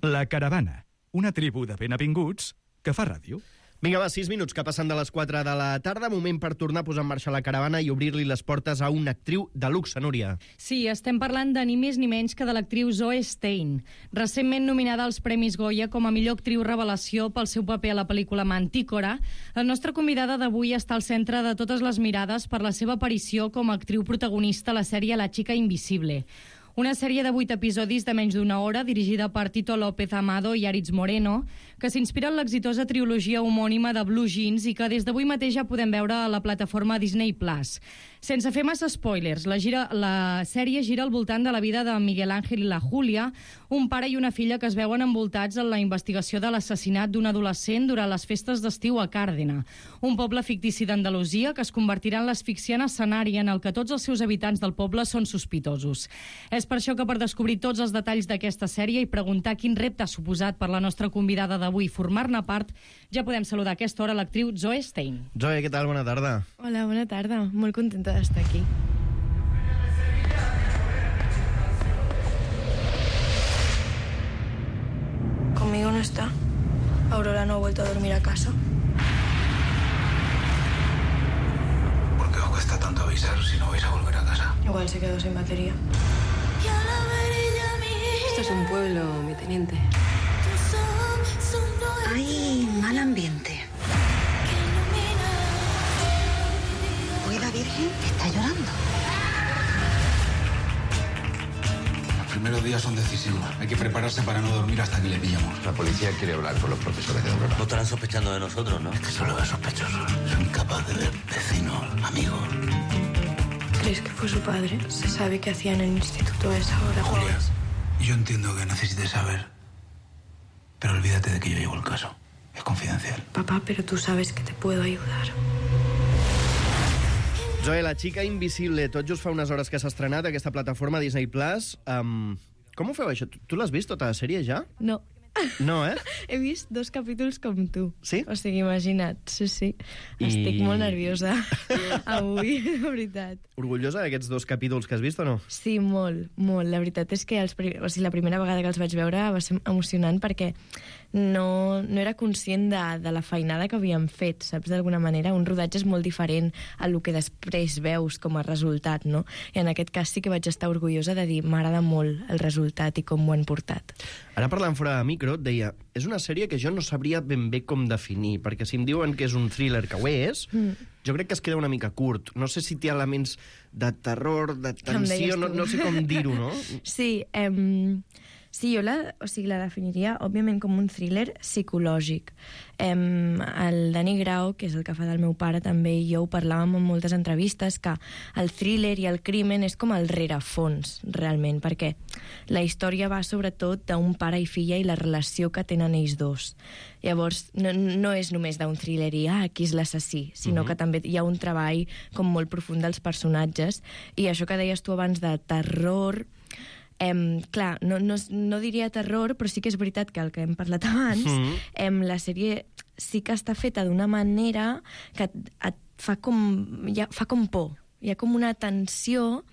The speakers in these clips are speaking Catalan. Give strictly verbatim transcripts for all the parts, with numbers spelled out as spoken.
La Caravana, una tribu de benvinguts que fa ràdio. Vinga, va, sis minuts que passen de les quatre de la tarda. Moment per tornar a posar en marxa la caravana i obrir-li les portes a una actriu de luxe, Núria. Sí, estem parlant de ni més ni menys que de l'actriu Zoe Stein. Recentment nominada als Premis Goya com a millor actriu revelació pel seu paper a la pel·lícula Mantícora, la nostra convidada d'avui està al centre de totes les mirades per la seva aparició com a actriu protagonista a la sèrie La Chica Invisible. Una sèrie de vuit episodis de menys d'una hora, dirigida per Tito López Amado i Aritz Moreno, que s'inspira en l'exitosa trilogia homònima de Blue Jeans i que des d'avui mateix ja podem veure a la plataforma Disney Plus. Sense fer massa spoilers, la, gira, la sèrie gira al voltant de la vida de Miguel Ángel i la Júlia, un pare i una filla que es veuen envoltats en la investigació de l'assassinat d'un adolescent durant les festes d'estiu a Càrdena, un poble fictici d'Andalusia que es convertirà en l'asfixiant escenari en el que tots els seus habitants del poble són sospitosos. És per això que per descobrir tots els detalls d'aquesta sèrie i preguntar quin repte ha suposat per la nostra convidada d'avui formar-ne part, ja podem saludar a aquesta hora l'actriu Zoe Stein. Zoe, què tal? Bona tarda. Hola, bona tarda. Molt contenta d'estar aquí. Conmigo no está. Aurora no ha vuelto a dormir a casa. ¿Por qué os cuesta tanto avisar si no vais a volver a casa? Igual se quedó sin batería. Esto es un pueblo, mi teniente. Hay mal ambiente. Hoy la Virgen está llorando. Los primeros días son decisivos. Hay que prepararse para no dormir hasta que le pillamos. La policía quiere hablar con los profesores de Aurora. No estarán sospechando de nosotros, ¿no? Es que solo es sospechoso. Son incapaces de ver vecinos, amigos. ¿Crees que fue su padre? Se sabe qué hacía en el instituto a esa hora. Julia, yo entiendo que necesites saber, pero olvídate de que yo llevo el caso. Es confidencial. Papá, pero tú sabes que te puedo ayudar. Zoe, La Chica Invisible, tot just fa unes hores que s'ha estrenat aquesta plataforma Disney Plus. Um, com ho feu, això? Tu, tu l'has vist, tota la sèrie, ja? No. No, eh? He vist dos capítols com tu. Sí? O sigui, imagina't, sí, sí. I... Estic molt nerviosa avui, la veritat. Orgullosa d'aquests dos capítols que has vist o no? Sí, molt, molt. La veritat és que els prim... o sigui, la primera vegada que els vaig veure va ser emocionant perquè no, no era conscient de, de la feinada que havíem fet, saps? D'alguna manera, un rodatge és molt diferent a el que després veus com a resultat, no? I en aquest cas sí que vaig estar orgullosa de dir m'agrada molt el resultat i com ho han portat. Ara parlant fora de micro, et deia, és una sèrie que jo no sabria ben bé com definir, perquè si em diuen que és un thriller, que ho és, mm. jo crec que es queda una mica curt. No sé si té elements de terror, de tensió, no, no sé com dir-ho, no? Sí, eh, sí, jo la, o sigui, la definiria, òbviament, com un thriller psicològic. Eh, el Dani Grau, que és el que fa del meu pare, també, i jo ho parlàvem en moltes entrevistes, que el thriller i el crimen és com el rerefons, realment, perquè la història va sobretot d'un pare i filla i la relació que tenen ells dos. Llavors, no, no és només d'un thriller i, ah, qui és l'assassí, sinó uh-huh. que també hi ha un treball com molt profund dels personatges, i això que deies tu abans de terror... Em, clar, no, no, no diria terror, però sí que és veritat que el que hem parlat abans, mm-hmm. em, la sèrie sí que està feta d'una manera que et, et fa com, ja, fa com por. Hi ha com una tensió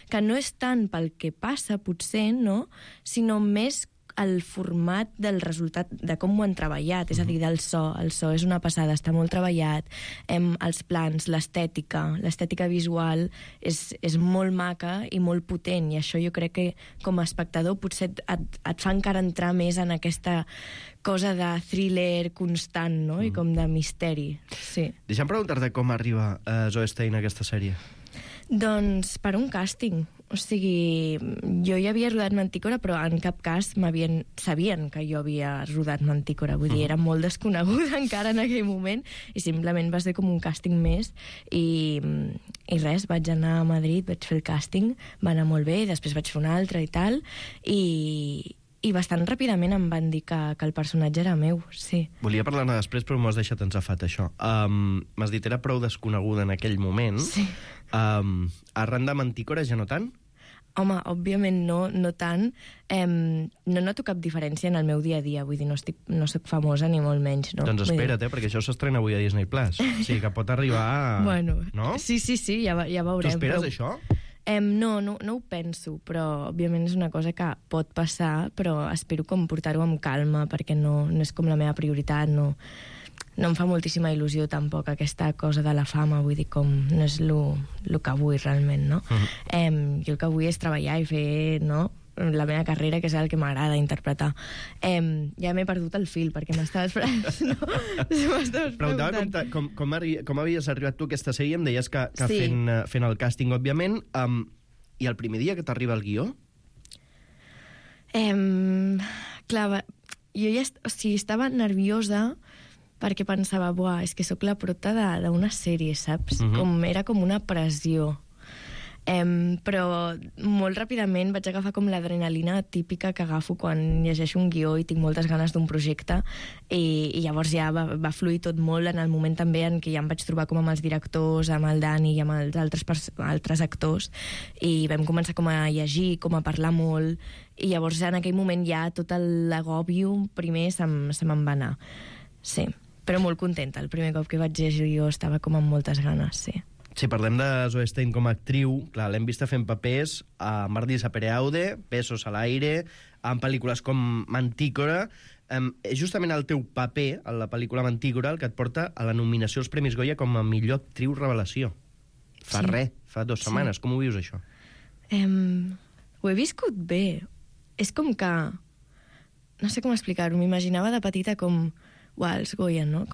que no és tant pel que passa, potser, no? Sinó més el format del resultat, de com ho han treballat, és a dir, del so. El so és una passada, està molt treballat, em, els plans, l'estètica, l'estètica visual és, és molt maca i molt potent, i això jo crec que com a espectador potser et, et, et fa encara entrar més en aquesta cosa de thriller constant, no? Mm. I com de misteri. Sí. Deixa'm preguntar-te com arriba uh, Zoe Stein a aquesta sèrie. Doncs per un càsting. O sigui, jo ja havia rodat Mantícora, però en cap cas m'havien... sabien que jo havia rodat Mantícora. Vull dir, era molt desconeguda encara en aquell moment, i simplement va ser com un càsting més, i, i res, vaig anar a Madrid, vaig fer el càsting, va anar molt bé, després vaig fer un altre i tal, i... i bastant ràpidament em van dir que, que el personatge era meu, sí. Volia parlar-ne després, però m'ho has deixat ensafat, això. Um, M'has dit, era prou desconeguda en aquell moment. Sí. Um, arran de Mantícora ja no tant? Home, òbviament no, no tant. Eh, no noto cap diferència en el meu dia a dia, vull dir, no, estic, no soc famosa ni molt menys, no? Doncs espera't, eh, perquè això s'estrena avui a Disney Plus. O sigui, que pot arribar... A... Bueno, no? sí, sí, sí, ja, ja veurem. Tu esperes però... això? Em, no, no, no ho penso, però òbviament és una cosa que pot passar, però espero com portar-ho amb calma, perquè no, no és com la meva prioritat, no, no em fa moltíssima il·lusió tampoc aquesta cosa de la fama, vull dir, com no és el que vull realment, no? Uh-huh. Em, jo el que vull és treballar i fer, no?, la meva carrera, que és el que m'agrada interpretar. Em, ja m'he perdut el fil, perquè m'estaves no? Preguntava com, ta, com, com, arri com havies arribat tu a aquesta sèrie, em deies que, que sí. fent, fent el càsting, òbviament, um, i el primer dia que t'arriba el guió? Em, clar, jo ja est o sigui, estava nerviosa perquè pensava, buah, és que sóc la prota d'una sèrie, saps? Uh-huh. Com, era com una pressió. Um, però molt ràpidament vaig agafar com l'adrenalina típica que agafo quan llegeixo un guió i tinc moltes ganes d'un projecte i, i llavors ja va, va fluir tot molt en el moment també en què ja em vaig trobar com amb els directors, amb el Dani i amb els altres, altres actors i vam començar com a llegir, com a parlar molt i llavors en aquell moment ja tot l'agòbio primer se'm, se me'n va anar. Sí, però molt contenta. El primer cop que vaig llegir jo estava com amb moltes ganes, sí. Si parlem de Zoe Stein com a actriu, clar, l'hem vista fent papers a Mardis a Pereaude, Besos a l'aire, en pel·lícules com Mantícora. Um, és justament el teu paper, a la pel·lícula Mantícora, el que et porta a la nominació als Premis Goya com a millor actriu revelació. Fa sí. res, fa dues setmanes. Sí. Com ho vius, això? Um, ho he viscut bé. És com que... No sé com explicar-ho. M'imaginava de petita com... Uau, els Goya, no?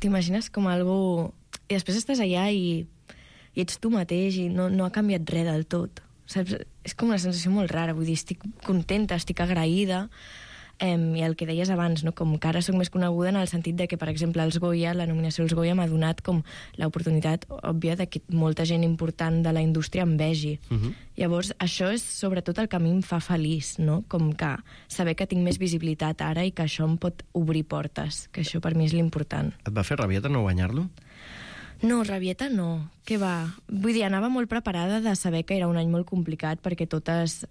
T'imagines com algo... I després estàs allà i... i ets tu mateix i no, no ha canviat res del tot. Saps? És com una sensació molt rara, vull dir, estic contenta, estic agraïda, em, i el que deies abans, no? Com que ara soc més coneguda en el sentit de que, per exemple, els Goya, la nominació als Goya m'ha donat com l'oportunitat òbvia de que molta gent important de la indústria em vegi. Uh-huh. Llavors, això és sobretot el que a mi em fa feliç, no? Com que saber que tinc més visibilitat ara i que això em pot obrir portes, que això per mi és l'important. Et va fer rabieta no guanyar-lo? No, rabieta no. Què va? Vull dir, anava molt preparada de saber que era un any molt complicat perquè totes,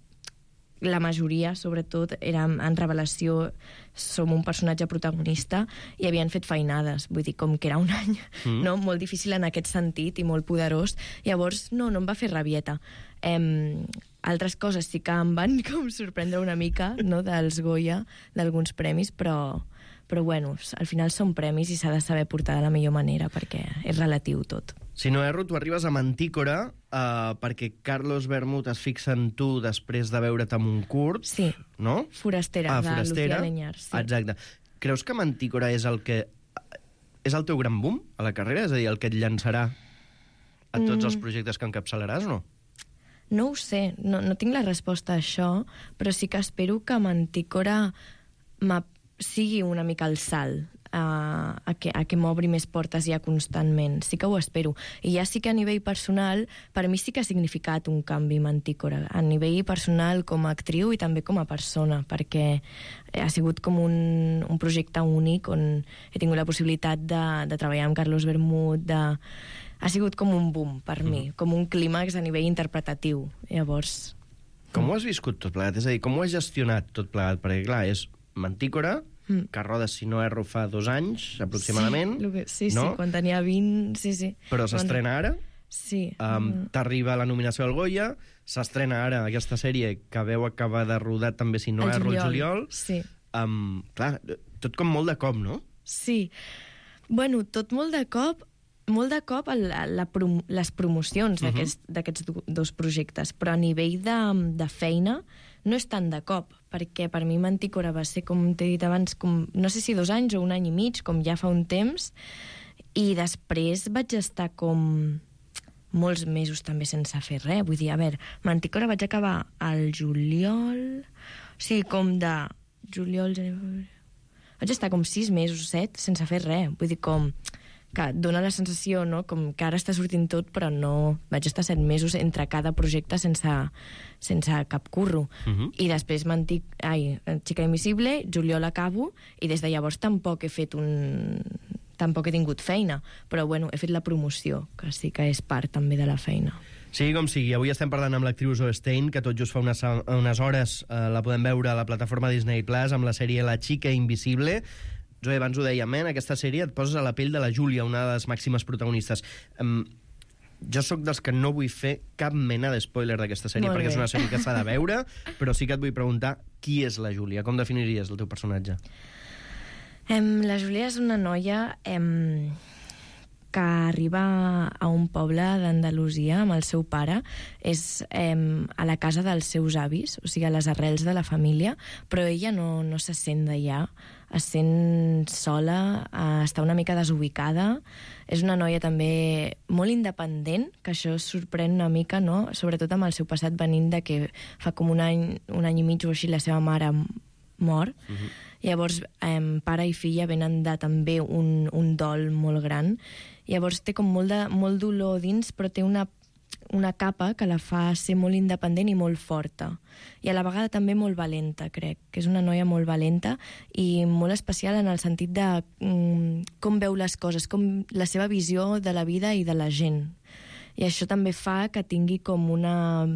la majoria, sobretot, érem en revelació, som un personatge protagonista i havien fet feinades. Vull dir, com que era un any mm. no? molt difícil en aquest sentit i molt poderós. Llavors, no, no em va fer rabieta. Em, altres coses sí que em van com sorprendre una mica, no?, dels Goya, d'alguns premis, però... però bueno, al final són premis i s'ha de saber portar de la millor manera perquè és relatiu tot. Si no erro, tu arribes a Mantícora uh, perquè Carlos Bermud es fixa en tu després de veure't amb un curt, sí. no? Forastera, ah, de Forastera. Lucía Leñar. Sí. Exacte. Creus que Mantícora és el que... és el teu gran boom a la carrera? És a dir, el que et llançarà a tots mm. els projectes que encapçalaràs, no? No ho sé, no, no tinc la resposta a això, però sí que espero que Mantícora sigui una mica el salt a, a que, a que m'obri més portes ja constantment. Sí que ho espero. I ja sí que a nivell personal, per mi sí que ha significat un canvi Mantícora, a nivell personal com a actriu i també com a persona, perquè ha sigut com un, un projecte únic on he tingut la possibilitat de, de treballar amb Carlos Bermud, de... ha sigut com un boom per mi, mm. com un clímax a nivell interpretatiu. Llavors... Com ho has viscut tot plegat? És a dir, com ho has gestionat tot plegat? Perquè, clar, és Mantícora, mm. que roda, si no erro, fa dos anys, aproximadament. Sí, que, sí, no? sí, quan tenia vint... Sí, sí. Però s'estrena ara? Sí. Um, mm. T'arriba la nominació al Goya, s'estrena ara aquesta sèrie que veu acabar de rodar també, si no erro, el juliol. Sí. Um, clar, tot com molt de cop, no? Sí. Bueno, tot molt de cop... molt de cop el, la prom les promocions d'aquests uh -huh. d'aquests dos projectes, però a nivell de, de feina no és tant de cop, perquè per mi Mantícora va ser, com t'he dit abans, com, no sé si dos anys o un any i mig, com ja fa un temps, i després vaig estar com molts mesos també sense fer res. Vull dir, a veure, Mantícora vaig acabar al juliol, o sigui, com de juliol, gener... Vaig estar com sis mesos, set, sense fer res. Vull dir, com... que dona la sensació, no?, com que ara està sortint tot, però no... Vaig estar set mesos entre cada projecte sense, sense cap curro. Uh -huh. I després Mantic... Ai, Xica Invisible, juliol acabo, i des de llavors tampoc he fet un... tampoc he tingut feina, però, bueno, he fet la promoció, que sí que és part també de la feina. Sigui com sigui, avui estem parlant amb l'actriu Zoe Stein, que tot just fa unes, unes hores eh, la podem veure a la plataforma Disney Plus, amb la sèrie La Xica Invisible. Zoe, abans ho dèiem, eh? En aquesta sèrie et poses a la pell de la Júlia, una de les màximes protagonistes. Um, jo sóc dels que no vull fer cap mena de spoiler d'aquesta sèrie, Molt perquè bé. és una sèrie que s'ha de veure, però sí que et vull preguntar qui és la Júlia, com definiries el teu personatge? Em, la Júlia és una noia em, que arriba a un poble d'Andalusia amb el seu pare. És em, a la casa dels seus avis, o sigui, a les arrels de la família, però ella no, no se sent d'allà, es sent sola, eh, està una mica desubicada. És una noia també molt independent, que això sorprèn una mica, no? Sobretot amb el seu passat venint de que fa com un any, un any i mig o així la seva mare mor. Uh-huh. Llavors, eh, pare i filla venen de també un, un dol molt gran. Llavors té com molt, de, molt dolor dins, però té una, una capa que la fa ser molt independent i molt forta. I a la vegada també molt valenta, crec, que és una noia molt valenta i molt especial en el sentit de mm, com veu les coses, com la seva visió de la vida i de la gent. I això també fa que tingui com una...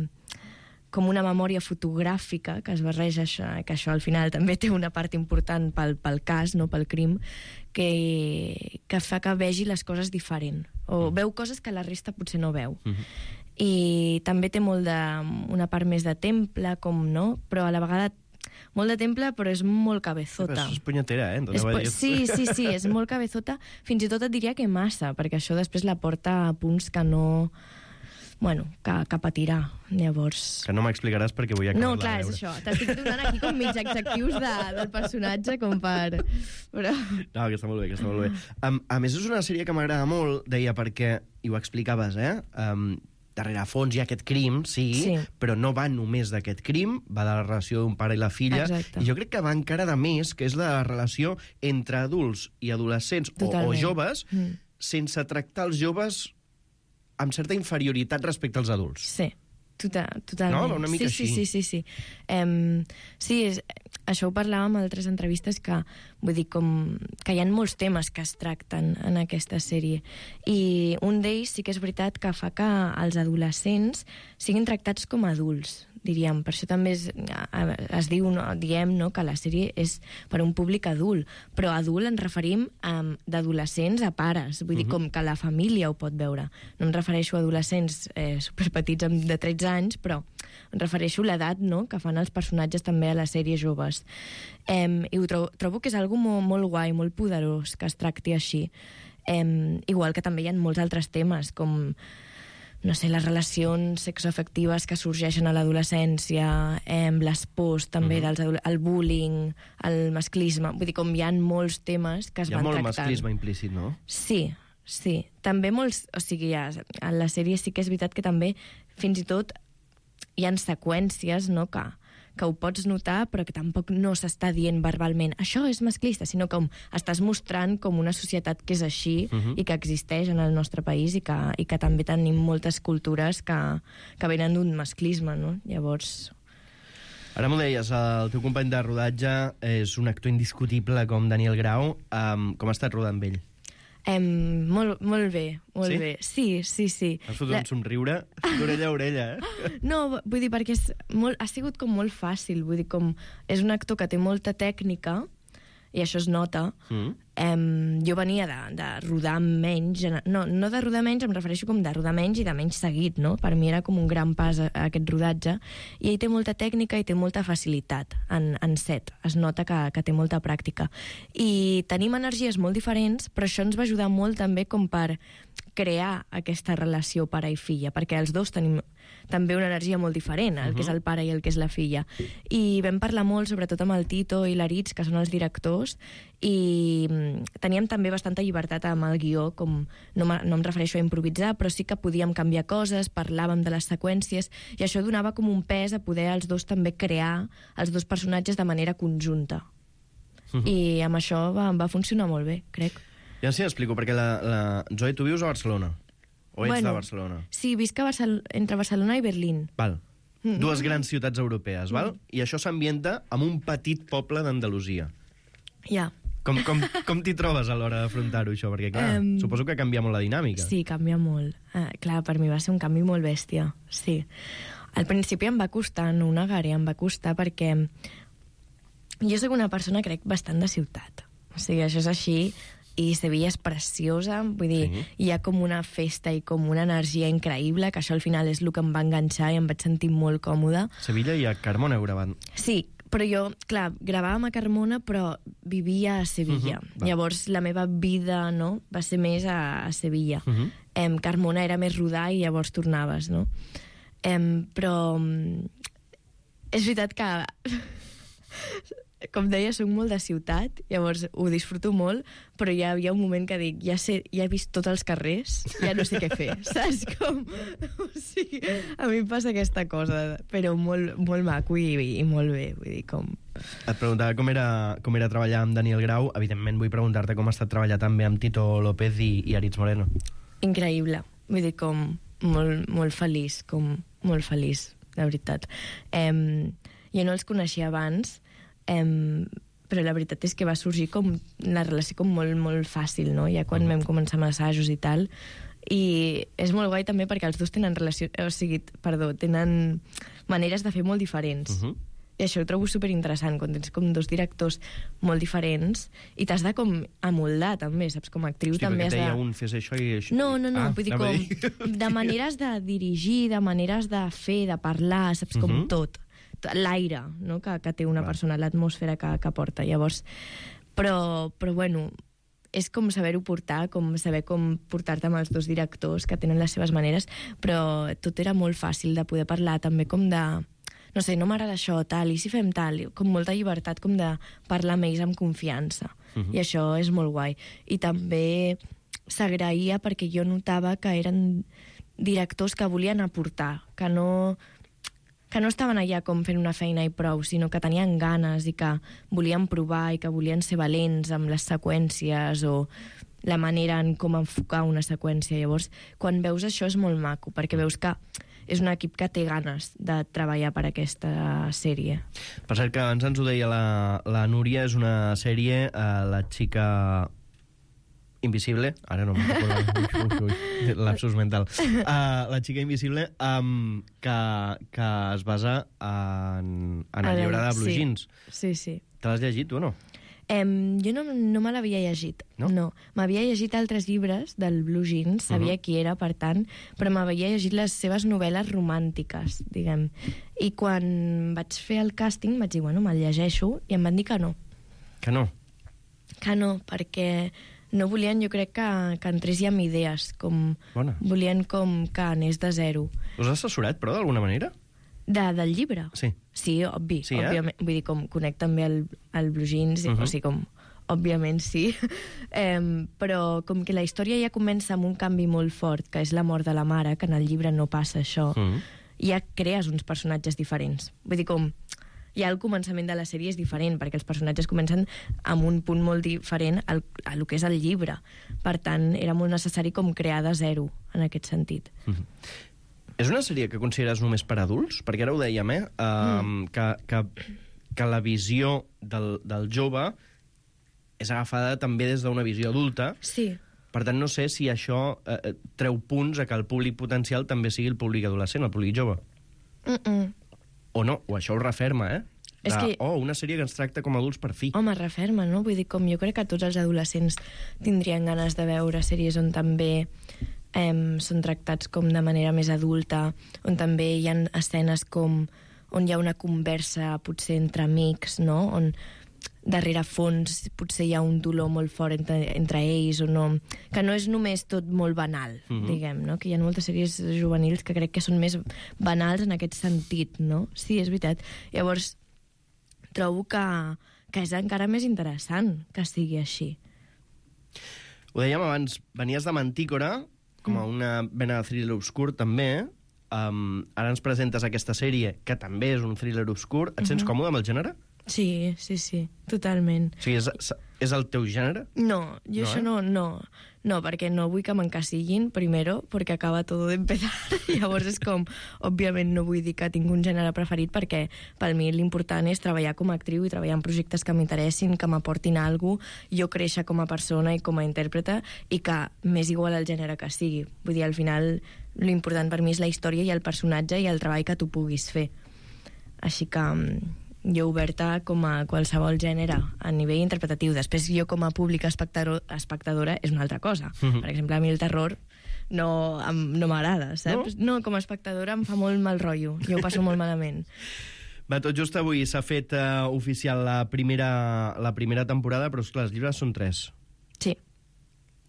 com una memòria fotogràfica que es barreja, això, que això al final també té una part important pel, pel cas, no pel crim, que, que fa que vegi les coses diferent, o veu coses que la resta potser no veu. Uh-huh. I també té molt de, una part més de temple, com no, però a la vegada molt de temple, però és molt cabezota. Però és punyetera, eh? És, po- sí, sí, sí, és molt cabezota. Fins i tot et diria que massa, perquè això després la porta a punts que no... Bueno, que, que patirà, llavors... Que no m'explicaràs perquè vull acabar-la No, clar, de és veure. això. T'estic donant aquí com mig adjectius de, del personatge com per... Però... No, que està molt bé, que està molt bé. Um, a més, és una sèrie que m'agrada molt, deia, perquè, i ho explicaves, eh? Um, darrere a fons hi ha aquest crim, sí, Sí. però no va només d'aquest crim, va de la relació d'un pare i la filla, Exacte. i jo crec que va encara de més, que és la relació entre adults i adolescents o, o Totalment. joves, Mm. sense tractar els joves amb certa inferioritat respecte als adults. Sí, total, totalment. No? Una mica sí, així. sí, sí, sí, sí. Um, sí, és, això ho parlàvem en altres entrevistes, que vull dir, com, que hi ha molts temes que es tracten en aquesta sèrie. I un d'ells sí que és veritat que fa que els adolescents siguin tractats com a adults, diríem. Per això també es, es diu, no, diem, no, que la sèrie és per a un públic adult, però adult ens referim um, d'adolescents a pares, vull dir, com que la família ho pot veure. No em refereixo a adolescents eh, superpetits amb- de tretze anys, però em refereixo a l'edat, no?, que fan els personatges també a la sèrie joves. Em, I ho trobo, trobo que és algo molt, molt guai, molt poderós que es tracti així. Em, igual que també hi ha molts altres temes, com no sé, les relacions sexoafectives que sorgeixen a l'adolescència, eh, les pors també, Mhm. dels adole- el bullying, el masclisme, vull dir, com hi ha molts temes que es Hi ha van molt tractant. masclisme implícit, no? Sí, sí. També molts... O sigui, ja, a la sèrie sí que és veritat que també, fins i tot, hi ha seqüències, no?, que, que ho pots notar, però que tampoc no s'està dient verbalment això és masclista, sinó com estàs mostrant com una societat que és així Mhm. i que existeix en el nostre país i que, i que també tenim moltes cultures que, que venen d'un masclisme, no? Llavors... Ara m'ho deies, el teu company de rodatge és un actor indiscutible com Daniel Grau. Um, com ha estat rodar amb ell? Em, molt, molt bé, molt Sí? bé. Sí, sí, sí. Has fotut un somriure d'orella a orella, eh? No, vull dir, perquè és molt, ha sigut com molt fàcil, vull dir, com és un actor que té molta tècnica, i això es nota. Mm. Em, jo venia de, de rodar menys, no, no de rodar menys, em refereixo com de rodar menys i de menys seguit, no? Per mi era com un gran pas a, a aquest rodatge, i ell té molta tècnica i té molta facilitat en, en set, es nota que, que té molta pràctica. I tenim energies molt diferents, però això ens va ajudar molt també com per crear aquesta relació pare i filla, perquè els dos tenim també una energia molt diferent, el uh -huh. que és el pare i el que és la filla. I vam parlar molt, sobretot amb el Tito i l'Aritz, que són els directors, i teníem també bastanta llibertat amb el guió, com no, no em refereixo a improvisar, però sí que podíem canviar coses, parlàvem de les seqüències, i això donava com un pes a poder els dos també crear els dos personatges de manera conjunta. Uh -huh. I amb això va, va funcionar molt bé, crec. Ja sí, explico, perquè la, la... Zoe, tu vius a Barcelona? O ets Bueno, de Barcelona? Sí, visc a Barcel entre Barcelona i Berlín. Val. Mm. Dues grans ciutats europees, val? I això s'ambienta en un petit poble d'Andalusia. Ja. Com, com, com t'hi trobes a l'hora d'afrontar-ho, això? Perquè, clar, Em, suposo que canvia molt la dinàmica. Sí, canvia molt. Ah, clar, per mi va ser un canvi molt bèstia, sí. Al principi em va costar, no ho negaré, em va costar perquè jo sóc una persona, crec, bastant de ciutat. O sigui, això és així. i Sevilla és preciosa, vull dir, Sí. hi ha com una festa i com una energia increïble, que això al final és el que em va enganxar i em vaig sentir molt còmoda. Sevilla i a Carmona heu gravat. Sí, però jo, clar, gravàvem a Carmona, però vivia a Sevilla. Mhm, va. Llavors, la meva vida, no?, va ser més a, a Sevilla. Mhm. Em, Carmona era més rodar i llavors tornaves, no? Em, però mm, és veritat que, com deia, soc molt de ciutat, llavors ho disfruto molt, però hi havia un moment que dic, ja, sé, ja he vist tots els carrers, ja no sé què fer, saps? Com, o sigui, a mi em passa aquesta cosa, però molt, molt maco i, i molt bé, vull dir, com... Et preguntava com era, com era treballar amb Daniel Grau. Evidentment vull preguntar-te com ha estat treballar també amb Tito López i, i Aritz Moreno. Increïble, vull dir, com molt, molt feliç, com molt feliç, de veritat. Em, jo no els coneixia abans, em, però la veritat és que va sorgir com la relació com molt, molt fàcil, no? Ja quan Mhm. vam començar amb assajos i tal. I és molt guai també perquè els dos tenen relació, o sigui, perdó, tenen maneres de fer molt diferents. Uh -huh. I això ho trobo superinteressant, quan tens com dos directors molt diferents i t'has de com amoldar també, saps? Com a actriu Hosti, també perquè has de... deia un, fes això i això. No, no, no, Ah, vull dir anava a com de maneres de dirigir, de maneres de fer, de parlar, saps? Com Mhm. tot. L'aire, no?, que, que té una Clar. persona, l'atmosfera que, que porta. Llavors, però, però bueno, és com saber-ho portar, com saber com portar-te amb els dos directors, que tenen les seves maneres, però tot era molt fàcil de poder parlar, també com de... No sé, no m'agrada això, tal, i si fem tal, com molta llibertat com de parlar amb ells amb confiança. Mhm. I això és molt guai. I també s'agraïa perquè jo notava que eren directors que volien aportar, que no, que no estaven allà com fent una feina i prou, sinó que tenien ganes i que volien provar i que volien ser valents amb les seqüències o la manera en com enfocar una seqüència. Llavors, quan veus això és molt maco, perquè veus que és un equip que té ganes de treballar per aquesta sèrie. Per cert, que abans ens ho deia la, la Núria, és una sèrie, uh, La xica invisible, ara no me'n recordo, ui, ui, ui, lapsus mental, uh, La xica invisible, um, que, que es basa en, en el llibre de Blue sí. Jeans. Sí, sí. Te l'has llegit, tu o no? Em, jo no, no me l'havia llegit. No? no. M'havia llegit altres llibres del Blue Jeans, sabia Uh-huh. qui era, per tant, però m'havia llegit les seves novel·les romàntiques, diguem. I quan vaig fer el càsting vaig dir, bueno, me'l llegeixo, i em van dir que no. Que no? Que no, perquè no volien, jo crec, que, que entrés ja amb idees, com Bona. volien com que anés de zero. Us has assessorat, però, d'alguna manera? De, del llibre? Sí. Sí, obvi. Sí, eh? òbviament. Vull dir, com conec també el, el Blue Jeans, uh Mhm. -huh. o sigui, com, òbviament sí. um, però com que la història ja comença amb un canvi molt fort, que és la mort de la mare, que en el llibre no passa això, Mm. ja crees uns personatges diferents. Vull dir, com ja el començament de la sèrie és diferent, perquè els personatges comencen amb un punt molt diferent al, a lo que és el llibre. Per tant, era molt necessari com crear de zero, en aquest sentit. Mm-hmm. És una sèrie que consideres només per adults? Perquè ara ho dèiem, eh? Uh, mm. que, que, que la visió del, del jove és agafada també des d'una visió adulta. Sí. Per tant, no sé si això eh, treu punts a que el públic potencial també sigui el públic adolescent, el públic jove. Mm -mm. O no, o això ho referma, eh? De, És que- Oh, una sèrie que ens tracta com a adults per fi. Home, referma, no? Vull dir, com jo crec que tots els adolescents tindrien ganes de veure sèries on també eh, són tractats com de manera més adulta, on també hi ha escenes com on hi ha una conversa potser entre amics, no? On darrere fons potser hi ha un dolor molt fort entre, entre ells o no, que no és només tot molt banal, Mhm. diguem, no? Que hi ha moltes sèries juvenils que crec que són més banals en aquest sentit, no? Sí, és veritat. Llavors, trobo que, que és encara més interessant que sigui així. Ho dèiem abans, venies de Mantícora, com a una mena de thriller obscur, també. Um, ara ens presentes aquesta sèrie, que també és un thriller obscur. Et sents còmode amb el gènere? Sí, sí, sí, totalment. O sigui, és, és el teu gènere? No, jo No, això eh? no, no, no, perquè no vull que m'encasillin, primero, perquè acaba todo de empezar. Llavors és com, òbviament no vull dir que tinc un gènere preferit, perquè per mi l'important és treballar com a actriu i treballar en projectes que m'interessin, que m'aportin alguna cosa, jo créixer com a persona i com a intèrpreta, i que m'és igual el gènere que sigui. Vull dir, al final, l'important per mi és la història i el personatge i el treball que tu puguis fer. Així que, jo oberta com a qualsevol gènere a nivell interpretatiu. Després jo com a públic espectador, espectadora és una altra cosa. Mm-hmm. Per exemple, a mi el terror no, no m'agrada, saps? No? no, com a espectadora em fa molt mal rotllo. Jo ho passo molt malament. Va, tot just avui s'ha fet uh, oficial la primera, la primera temporada, però esclar, els llibres són tres. Sí.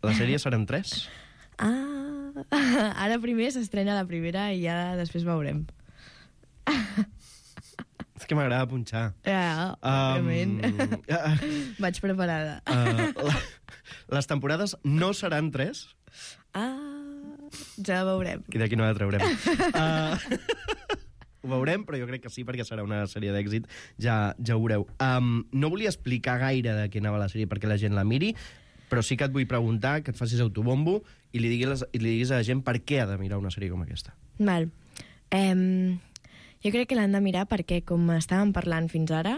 La sèrie seran tres? Ah, ara primer s'estrena la primera i ja després veurem. És que m'agrada punxar. Ja, òbviament. Um, Vaig preparada. Uh, la, les temporades no seran tres? Ah, ja veurem. I d'aquí no la traurem. Uh, ho veurem, però jo crec que sí, perquè serà una sèrie d'èxit. Ja, ja ho veureu. Um, no volia explicar gaire de què anava la sèrie perquè la gent la miri, però sí que et vull preguntar, que et facis autobombo i li diguis, i li diguis a la gent per què ha de mirar una sèrie com aquesta. Val. Um, jo crec que l'han de mirar perquè, com estàvem parlant fins ara,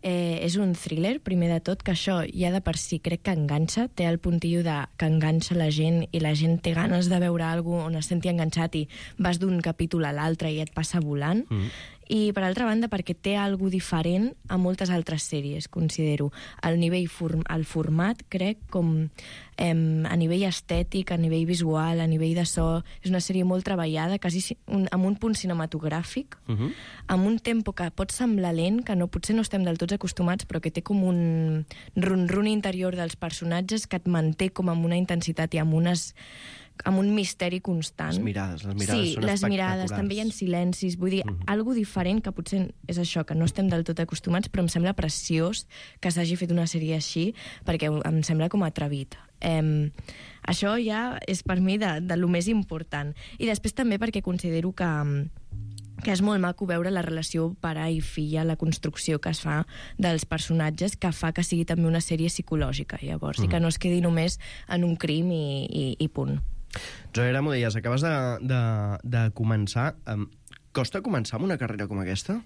eh, és un thriller, primer de tot, que això ja de per si crec que enganxa, té el puntillo de que enganxa la gent i la gent té ganes de veure alguna cosa on es senti enganxat i vas d'un capítol a l'altre i et passa volant. Mm. I, per altra banda, perquè té alguna cosa diferent a moltes altres sèries, considero. El nivell, form, el format, crec, com em, a nivell estètic, a nivell visual, a nivell de so, és una sèrie molt treballada, quasi un, amb un punt cinematogràfic, uh -huh. amb un tempo que pot semblar lent, que no, potser no estem del tot acostumats, però que té com un run-run interior dels personatges que et manté com amb una intensitat i amb unes amb un misteri constant. Les mirades, les mirades sí, són les mirades, també hi ha silencis, vull dir, uh -huh. algo diferent que potser és això, que no estem del tot acostumats, però em sembla preciós que s'hagi fet una sèrie així, perquè em sembla com atrevit. Eh, això ja és per mi de, de lo més important. I després també perquè considero que que és molt maco veure la relació pare i filla, la construcció que es fa dels personatges, que fa que sigui també una sèrie psicològica, llavors, uh -huh. i que no es quedi només en un crim i, i, i punt. Zoraida, m'ho deies, acabes de, de, de començar. Um, costa començar amb una carrera com aquesta?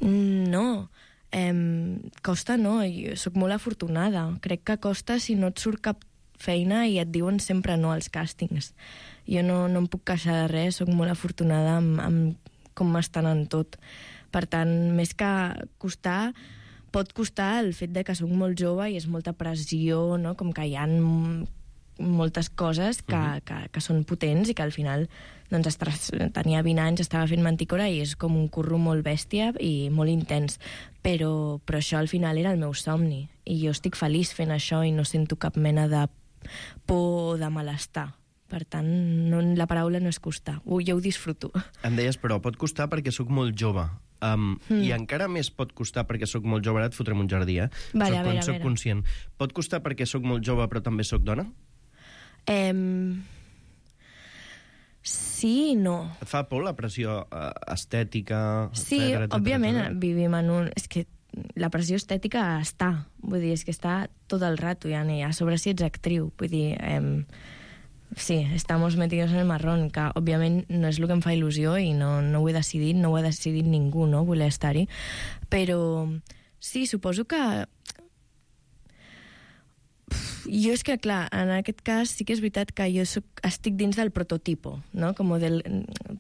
No, em, costa no, jo soc molt afortunada. Crec que costa si no et surt cap feina i et diuen sempre no als càstings. Jo no, no em puc queixar de res, soc molt afortunada amb, amb com m'estan en tot. Per tant, més que costar, pot costar el fet de que soc molt jove i és molta pressió, no? Com que hi ha moltes coses que, uh-huh. que, que són potents i que al final doncs, estàs, tenia vint anys, estava fent Mantícora i és com un curro molt bèstia i molt intens, però, però això al final era el meu somni i jo estic feliç fent això i no sento cap mena de por o de malestar. Per tant, no, la paraula no és costar. Jo ho disfruto. Em deies, però pot costar perquè sóc molt jove. Um, mm. I encara més pot costar perquè sóc molt jove. Ara et fotrem un jardí, eh? Vale, soc, a veure, soc a veure. conscient. Pot costar perquè sóc molt jove però també sóc dona? Um, sí i no. Et fa por la pressió uh, estètica? Sí, etcètera, etcètera, òbviament, etcètera? vivim en un... És que la pressió estètica està. Vull dir, és que està tot el rato, ja ni a sobre si ets actriu. Vull dir, um, sí, estamos metidos en el marrón, que òbviament no és el que em fa il·lusió i no, no ho he decidit, no ho ha decidit ningú, no, voler estar-hi. Però sí, suposo que... Jo és que, clar, en aquest cas sí que és veritat que jo soc, estic dins del prototipo, no? Com del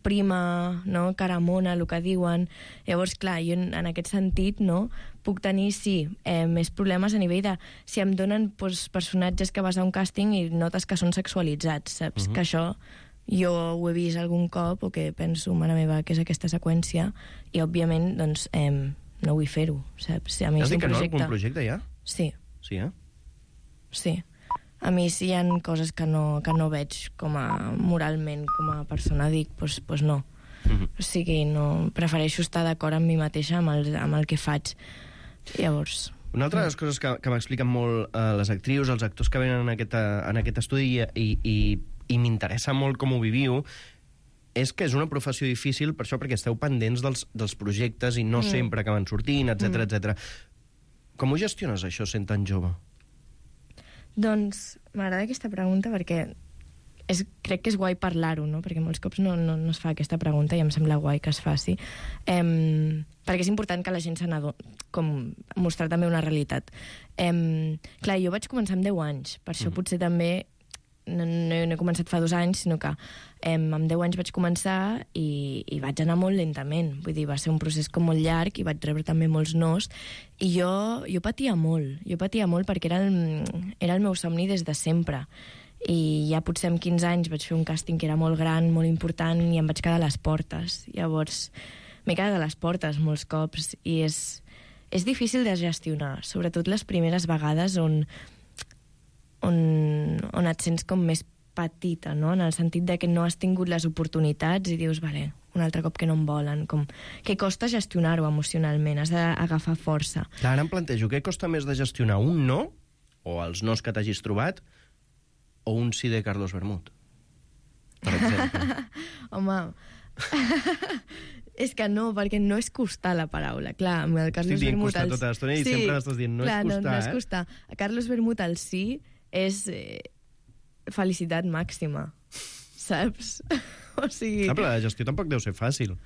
prima, no? Caramona, el que diuen. Llavors, clar, jo en, en aquest sentit, no? Puc tenir, sí, eh, més problemes a nivell de... Si em donen pues, personatges que vas a un càsting i notes que són sexualitzats, saps? Uh-huh. Que això jo ho he vist algun cop o que penso, mare meva, què és aquesta seqüència? I, òbviament, doncs, eh, no vull fer-ho, saps? A mi Has és dit un que no projecte... algun projecte ja? Sí. Sí, eh? Sí. A mi sí hi ha coses que no, que no veig com a moralment, com a persona, dic, doncs pues, pues no. Uh-huh. O sigui, no, prefereixo estar d'acord amb mi mateixa, amb el, amb el que faig. Llavors... Una altra de les coses que, que m'expliquen molt eh, les actrius, els actors que venen en aquest, en aquest estudi i, i, i, i m'interessa molt com ho viviu, és que és una professió difícil, per això, perquè esteu pendents dels, dels projectes i no mm. sempre acaben sortint, etcètera, mm. etcètera. Com ho gestiones, això, sent tan jove? Doncs m'agrada aquesta pregunta perquè és, crec que és guai parlar-ho, no? Perquè molts cops no, no, no es fa aquesta pregunta i em sembla guai que es faci. Em, perquè és important que la gent se n'adoni, com mostrar també una realitat. Em, clar, jo vaig començar amb deu anys, per això mm. potser també no, no, no he començat fa dos anys, sinó que eh, amb deu anys vaig començar i, i vaig anar molt lentament. Vull dir, va ser un procés com molt llarg i vaig rebre també molts nos. I jo, jo patia molt, jo patia molt perquè era el, era el meu somni des de sempre. I ja potser amb quinze anys vaig fer un càsting que era molt gran, molt important, i em vaig quedar a les portes. Llavors, m'he quedat a les portes molts cops i és, és difícil de gestionar, sobretot les primeres vegades on... On, on et sents com més petita, no? En el sentit de que no has tingut les oportunitats i dius, vale, un altre cop que no em volen. Com... Que costa gestionar-ho emocionalment, has d'agafar força. Clar, ara em plantejo, què costa més de gestionar, un no, o els nos que t'hagis trobat, o un sí de Carlos Bermud, per exemple? Home... És que no, perquè no és costar la paraula. Clar, amb el Carlos Estic dient Bermud... costar tota l'estona i sempre estàs dient no clar, és costar, no, no és eh? costar. A Carlos Bermud el sí és eh, felicitat màxima, saps? O sigui... Ah, però la gestió tampoc deu ser fàcil.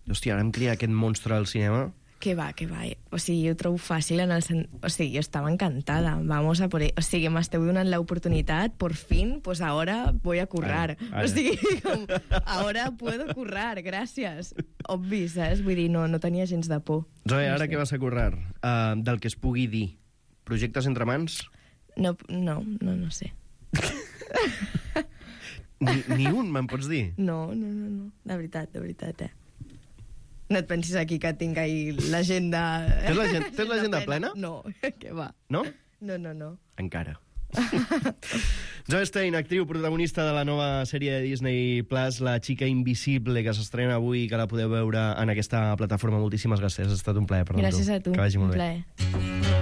Hòstia, ara em cria aquest monstre al cinema... Que va, que va. O sigui, jo ho trobo fàcil en el sen... O sigui, jo estava encantada. Vamos a por... O sigui, m'esteu donant l'oportunitat, por fin, pues ahora voy a currar. Ara, ara. O sigui, com, ahora puedo currar, gràcies. Obvi, saps? Vull dir, no, no tenia gens de por. Zoe, no ara sé. què vas a currar? Uh, del que es pugui dir. Projectes entre mans? No, no, no, no sé. Ni, ni un, me'n pots dir? No, no, no, no. De veritat, de veritat, eh. No et pensis aquí que tinc ahí l'agenda... Tens l'agenda- tens l'agenda plena? No, que va. No? No, no, no. Encara. Zoe Stein, actriu protagonista de la nova sèrie de Disney Plus, La chica invisible, que s'estrena avui i que la podeu veure en aquesta plataforma. Moltíssimes gràcies, ha estat un plaer parlar amb tu. Gràcies a tu, Que vagi molt un bé. plaer.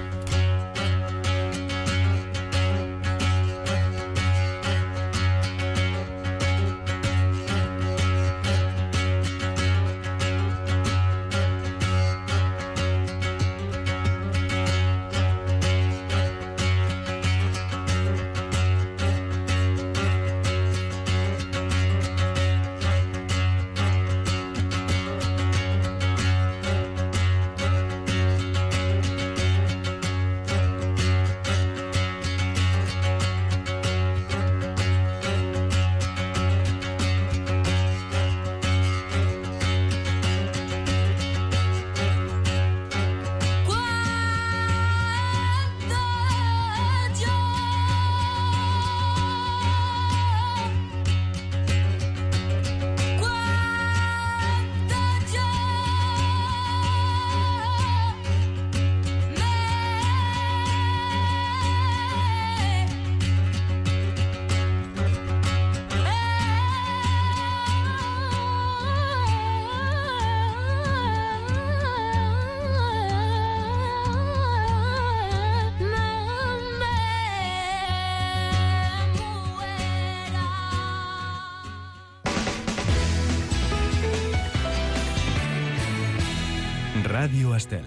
Ràdio Estel.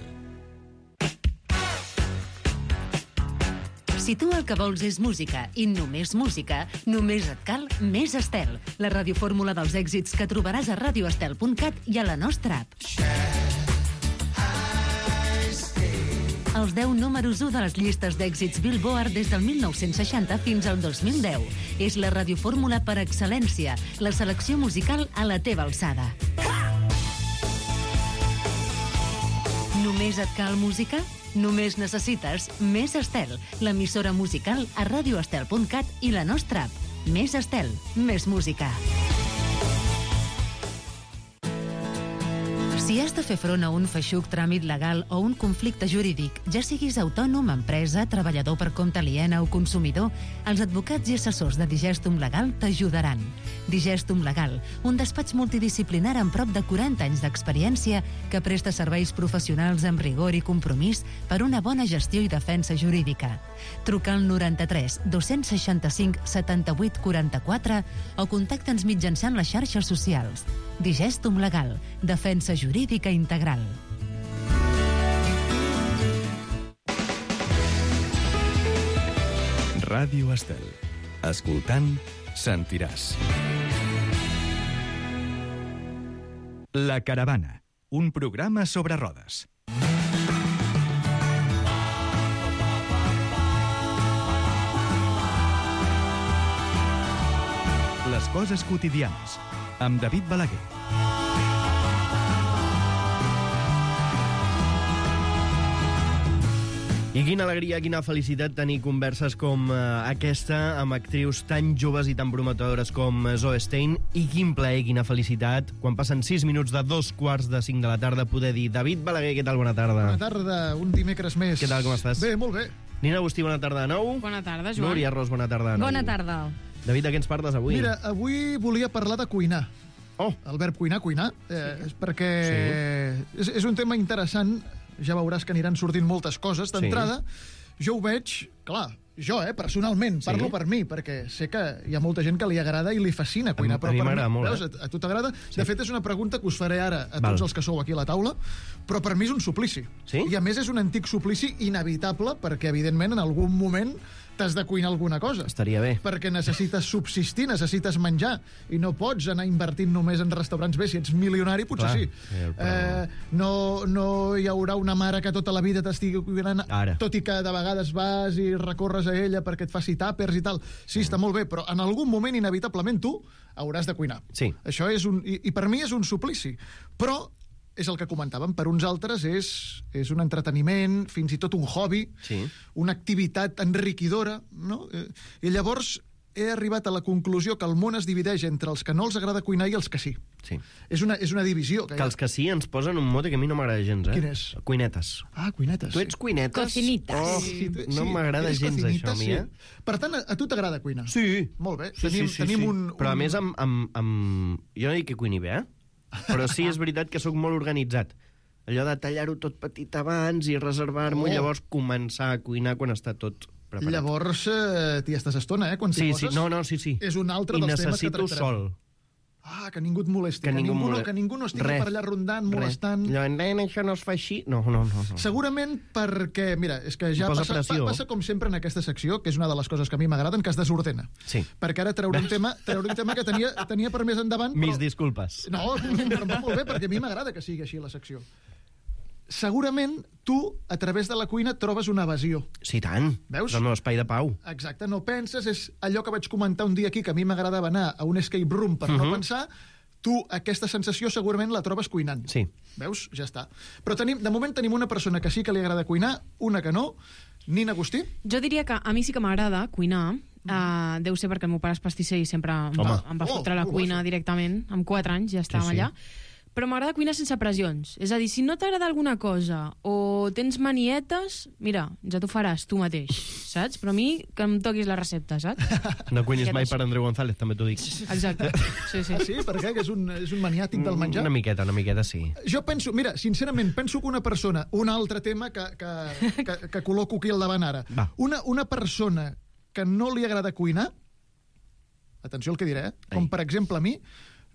Si tu el que vols és música i només música, només et cal Més Estel, la radiofórmula dels èxits que trobaràs a radio estel punt cat i a la nostra app. Els deu números u de les llistes d'èxits Billboard des del mil nou-cents seixanta fins al dos mil deu. És la radiofórmula per excel·lència, la selecció musical a la teva alçada. Només et cal música? Només necessites Més Estel, l'emissora musical a radio estel punt cat i la nostra app. Més Estel, més música. Si has de fer front a un feixuc tràmit legal o un conflicte jurídic, ja siguis autònom, empresa, treballador per compte aliena o consumidor, els advocats i assessors de Digestum Legal t'ajudaran. Digestum Legal, un despatx multidisciplinar amb prop de quaranta anys d'experiència que presta serveis professionals amb rigor i compromís per una bona gestió i defensa jurídica. Truca al noranta-tres dos-cents seixanta-cinc setanta-vuit quaranta-quatre o contacta'ns mitjançant les xarxes socials. Digestum Legal, defensa jurídica integral. Ràdio Estel. Escoltant, sentiràs. La Caravana, un programa sobre rodes. les coses quotidianes, amb David Balaguer. I quina alegria, quina felicitat tenir converses com uh, aquesta amb actrius tan joves i tan prometedores com Zoe Stein, i quin plaer, quina felicitat, quan passen sis minuts de dos quarts de cinc de la tarda, poder dir David Balaguer, què tal, bona tarda? Bona tarda, un dimecres més. Què tal, com estàs? Bé, molt bé. Nina Agustí, bona tarda de nou. Bona tarda, Joan. Núria Ros, bona tarda de nou. Bona tarda. David, de què ens parles avui? Mira, avui volia parlar de cuinar. Oh. El verb cuinar, cuinar, eh, és perquè Sí. és, és un tema interessant. Ja veuràs que aniran sortint moltes coses. D'entrada, sí. jo ho veig, clar, jo, eh, personalment, Sí. parlo per mi, perquè sé que hi ha molta gent que li agrada i li fascina cuinar. A mi- però a mi per m'agrada molt, veus, eh? a, a tu t'agrada? Sí. De fet, és una pregunta que us faré ara a Val. tots els que sou aquí a la taula, però per mi és un suplici. Sí? I a més és un antic suplici inevitable, perquè evidentment en algun moment t'has de cuinar alguna cosa. Estaria bé. Perquè necessites subsistir, necessites menjar, i no pots anar invertint només en restaurants. Bé, si ets milionari, potser Clar, sí. eh, però- Eh, no, no hi haurà una mare que tota la vida t'estigui cuinant, Ara. tot i que de vegades vas i recorres a ella perquè et faci tàpers i tal. Sí, està molt bé, però en algun moment, inevitablement, tu hauràs de cuinar. Sí. Això és un... I, i per mi és un suplici. Però és el que comentàvem, per uns altres és, és un entreteniment, fins i tot un hobby, Sí. una activitat enriquidora, no? Eh, I llavors he arribat a la conclusió que el món es divideix entre els que no els agrada cuinar i els que sí. Sí. És una, és una divisió. Que Que els que sí ens posen un mote que a mi no m'agrada gens, eh? Quin és? Cuinetes. Ah, cuinetes. Tu ets cuinetes? Cocinites. Oh, Sí, tu- no sí, m'agrada eres gens cocinita, això, a mi, eh? sí. Per tant, a, a tu t'agrada cuinar? Sí. Molt bé. Sí, tenim sí, sí, tenim sí. un, un... Però a més, amb, amb, amb... jo no dic que cuini bé, eh? Però sí, és veritat que sóc molt organitzat. Allò de tallar-ho tot petit abans i reservar-m'ho, Oh. i llavors començar a cuinar quan està tot preparat. Llavors eh, t'hi estàs estona, eh? Quan t'hi Sí, poses, sí, no, no, sí, sí. És un altre I dels temes que necessito tractarem. sol. Ah, que ningú et molesti, Que que, ningú ningú, no, mole- que ningú no estigui Res. per allà rondant, Res. molestant... Allò, nen, això no es fa així. No, no, no. no. Segurament perquè, mira, és que ja Em posa passa, pressió. pa, passa com sempre en aquesta secció, que és una de les coses que a mi m'agraden, que es desordena. Sí. Perquè ara trauré un tema, trauré un tema que tenia, tenia per més endavant, però... Mis disculpes. No, però em va molt bé, perquè a mi m'agrada que sigui així la secció. Segurament tu, a través de la cuina, trobes una evasió. Sí, tant. Veus? És el meu espai de pau. Exacte, no penses, és allò que vaig comentar un dia aquí, que a mi m'agradava anar a un escape room per uh -huh. no pensar, tu aquesta sensació segurament la trobes cuinant. Sí. Veus? Ja està. Però tenim, de moment tenim una persona que sí que li agrada cuinar, una que no. Nina Agustí? Jo diria que a mi sí que m'agrada cuinar. Uh, deu ser perquè el meu pare és pastisser i sempre em va, em va Oh, fotre a la oh, cuina vaja. directament. Amb quatre anys ja estàvem Sí, sí. allà. Però m'agrada cuinar sense pressions. És a dir, si no t'agrada alguna cosa o tens manietes, mira, ja t'ho faràs tu mateix, saps? Però a mi que em toquis la recepta, saps? No cuinis mai Aquest per Andreu González, també t'ho dic. Exacte. Sí, sí. Ah, sí? Per què? Que és un, és un maniàtic del menjar? Una miqueta, una miqueta, sí. Jo penso, mira, sincerament, penso que una persona, un altre tema que, que, que, que col·loco aquí al davant ara, Va. una, una persona que no li agrada cuinar, atenció al que diré, eh? com Ei. per exemple a mi,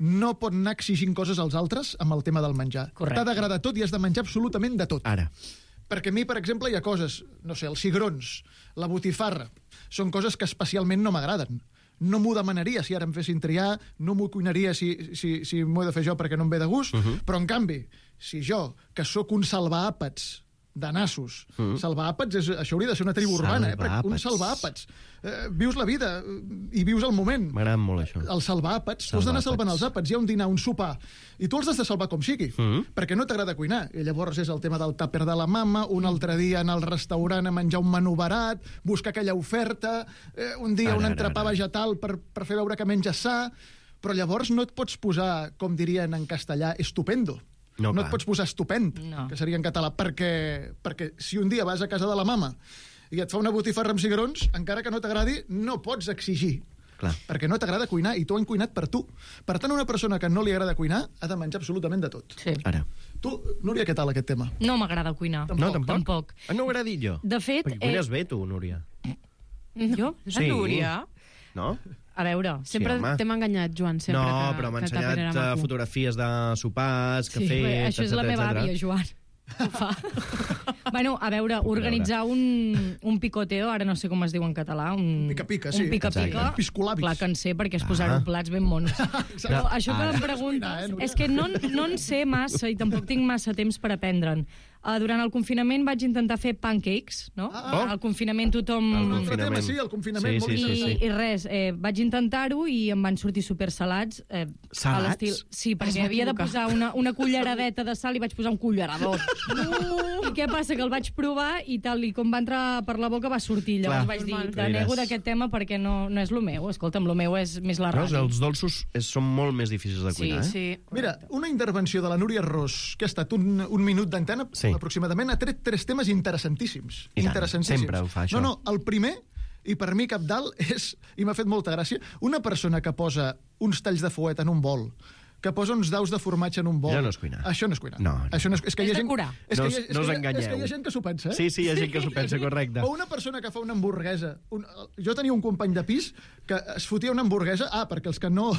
no pot anar exigint coses als altres amb el tema del menjar. Correcte. T'ha d'agradar tot i has de menjar absolutament de tot. Ara. Perquè a mi, per exemple, hi ha coses, no sé, els cigrons, la botifarra, són coses que especialment no m'agraden. No m'ho demanaria si ara em fessin triar, no m'ho cuinaria si, si, si m'ho he de fer jo perquè no em ve de gust, uh -huh. però en canvi, si jo, que sóc un salvaàpats de nassos, uh -huh. salvaàpats, és, això hauria de ser una tribu urbana, eh? Perquè un salvaàpats. Eh, vius la vida eh, i vius el moment. M'agrada molt, això. El salvar àpats, tu has d'anar salvant els àpats. Hi ha un dinar, un sopar, i tu els has de salvar com sigui, uh -huh. perquè no t'agrada cuinar. I llavors és el tema del tàper de la mama, un altre dia anar al restaurant a menjar un menú barat, buscar aquella oferta, eh, un dia Ara, un ara, entrepà ara. vegetal per, per fer veure que menges sa, però llavors no et pots posar, com dirien en castellà, estupendo. No, no clar. et pots posar estupend, No. que seria en català, perquè, perquè si un dia vas a casa de la mama i et fa una botifarra amb cigrons, encara que no t'agradi, no pots exigir. Clar. Perquè no t'agrada cuinar i t'ho han cuinat per tu. Per tant, una persona que no li agrada cuinar ha de menjar absolutament de tot. Sí. Ara. Tu, Núria, què tal aquest tema? No m'agrada cuinar. No, tampoc? Tampoc. Ah, no ho haurà dit jo. De fet, Perquè cuines eh, bé, tu, Núria. Jo? La Sí. Núria? No? A veure, Sempre home. t'hem enganyat, Joan, sempre no, que, però m'ha que Tàper era ensenyat uh, maco. fotografies de sopars que sí, ha fet, bé, això és la etcètera, meva etcètera. àvia, Joan. Ho fa. Bueno, a veure, organitzar un, un picoteo, ara no sé com es diu en català, un pica-pica, sí. Un pica-pica, piscolabis. clar que en sé, perquè és posar-ho plats ben monos. Però això que em preguntes, és que no, no en sé massa i tampoc tinc massa temps per aprendre'n. Uh, durant el confinament vaig intentar fer pancakes, no? Ah, Al confinament tothom... El confinament. Sí, el confinament. Sí, sí, sí, sí. I, I res, eh, vaig intentar-ho i em van sortir super salats. Eh, Salats? Sí, perquè havia de posar una, una culleradeta de sal i vaig posar un cullerador. No! I què passa? Que el vaig provar i tal, i com va entrar per la boca va sortir. Llavors Clar. vaig dir, Normal. denego d'aquest tema perquè no, no és el meu. Escolta'm, el meu és més la No, ràdio. els dolços és, són molt més difícils de cuinar, Sí, eh? sí. Mira, una intervenció de la Núria Ros, que ha estat un, un minut d'antena, Sí. aproximadament, ha tret tres temes interessantíssims. I tant, interessantíssims. sempre ho fa, això. No, no, el primer, i per mi cap dalt, és, i m'ha fet molta gràcia, una persona que posa uns talls de fuet en un bol, que posa uns daus de formatge en un bol. Allò no és cuinar. Això no és cuinar. No, no. Això no és, és que hi ha És gent, decorar. és que No hi ha, us- és no us que hi ha- enganyeu. És que hi ha gent que s'ho pensa, eh? Sí, sí, hi ha gent que s'ho pensa, correcte. O una persona que fa una hamburguesa. Un, jo tenia un company de pis que es fotia una hamburguesa... Ah, perquè els que no,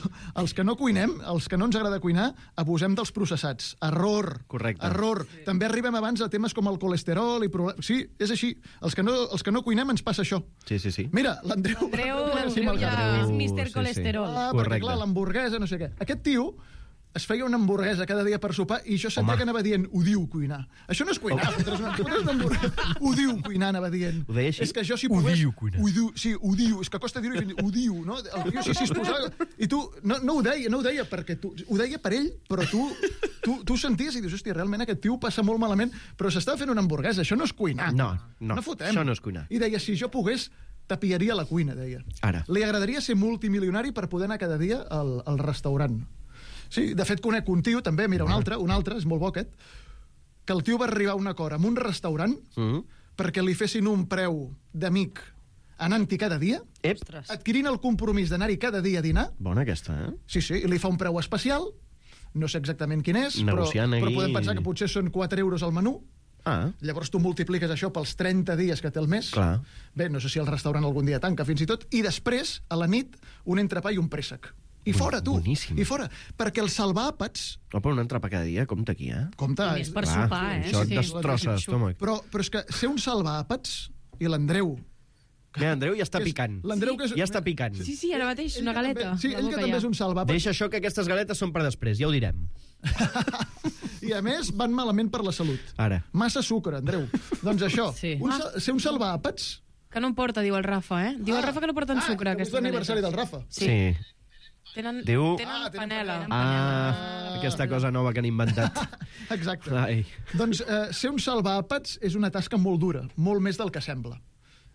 els que no cuinem, els que no ens agrada cuinar, abusem dels processats. Error. Correcte. Error. Sí. També arribem abans a temes com el colesterol i problemes... Sí, és així. Els que no, els que no cuinem ens passa això. Sí, sí, sí. Mira, l'Andreu... L'Andreu Sí, amb el ja cap. és mister Sí, sí. Colesterol. Ah, perquè Correcte. clar, l'hamburguesa, no sé què. Aquest tio es feia una hamburguesa cada dia per sopar i jo sentia Home. que anava dient, ho diu cuinar. Això no és cuinar, oh. fotre's una, fotre's una hamburguesa. Ho diu cuinar, anava dient. Ho deia així? És que jo si Ho pogués... diu cuinar. Ho diu, sí, ho diu. És que costa dir-ho i dir, ho diu, no? El tio sí, sí, es posava... I tu no, no ho deia, no ho deia perquè tu... Ho deia per ell, però tu, tu, tu senties i dius, hòstia, realment aquest tio passa molt malament, però s'estava fent una hamburguesa, això no és cuinar. No, no, No fotem. això no és cuinar. I deia, si jo pogués, tapiaria la cuina, deia. Ara. Li agradaria ser multimilionari per poder anar cada dia al, al restaurant. Sí, de fet, conec un tio, també, mira, un altre, un altre, és molt bo aquest, que el tio va arribar a un acord amb un restaurant Mm. perquè li fessin un preu d'amic anant-hi cada dia, Ep, adquirint el compromís d'anar-hi cada dia a dinar. bona aquesta, eh? Sí, sí, i li fa un preu especial, no sé exactament quin és, però, Negociant però aquí. podem pensar que potser són quatre euros al menú. Ah, Llavors tu multipliques això pels trenta dies que té el mes. Clar. Bé, no sé si el restaurant algun dia tanca, fins i tot. I després, a la nit, un entrepà i un préssec. I Bon- fora, tu. boníssim. I fora. Perquè el salvar-àpats... no, però un entrepà cada dia, compta aquí, eh? Compte... I més per Clar, sopar, eh? Això et Sí. destrossa l'estómac. Però, però és que ser un salvar-àpats i l'Andreu... Bé, Andreu ja està que és- picant. L'Andreu que és... Ja està picant. Sí, sí, ara mateix, Ell una que galeta. També, sí, La ell que boca també ja. és un salvar-àpats. Deixa això, que aquestes galetes són per després, ja ho direm. I a més van malament per la salut. Ara. Massa sucre, Andreu. Doncs això, Sí. un, sal- ser un salvar-àpats... Que no en porta, diu el Rafa, eh? Diu el Rafa que no porten sucre, ah, que avui és aquesta l'aniversari galeta. del Rafa. Sí. Tenen, Diu- tenen Ah, tenen panela. Ah, aquesta cosa nova que han inventat. Exacte. Ai. Doncs eh, ser un salvar-àpats és una tasca molt dura, molt més del que sembla.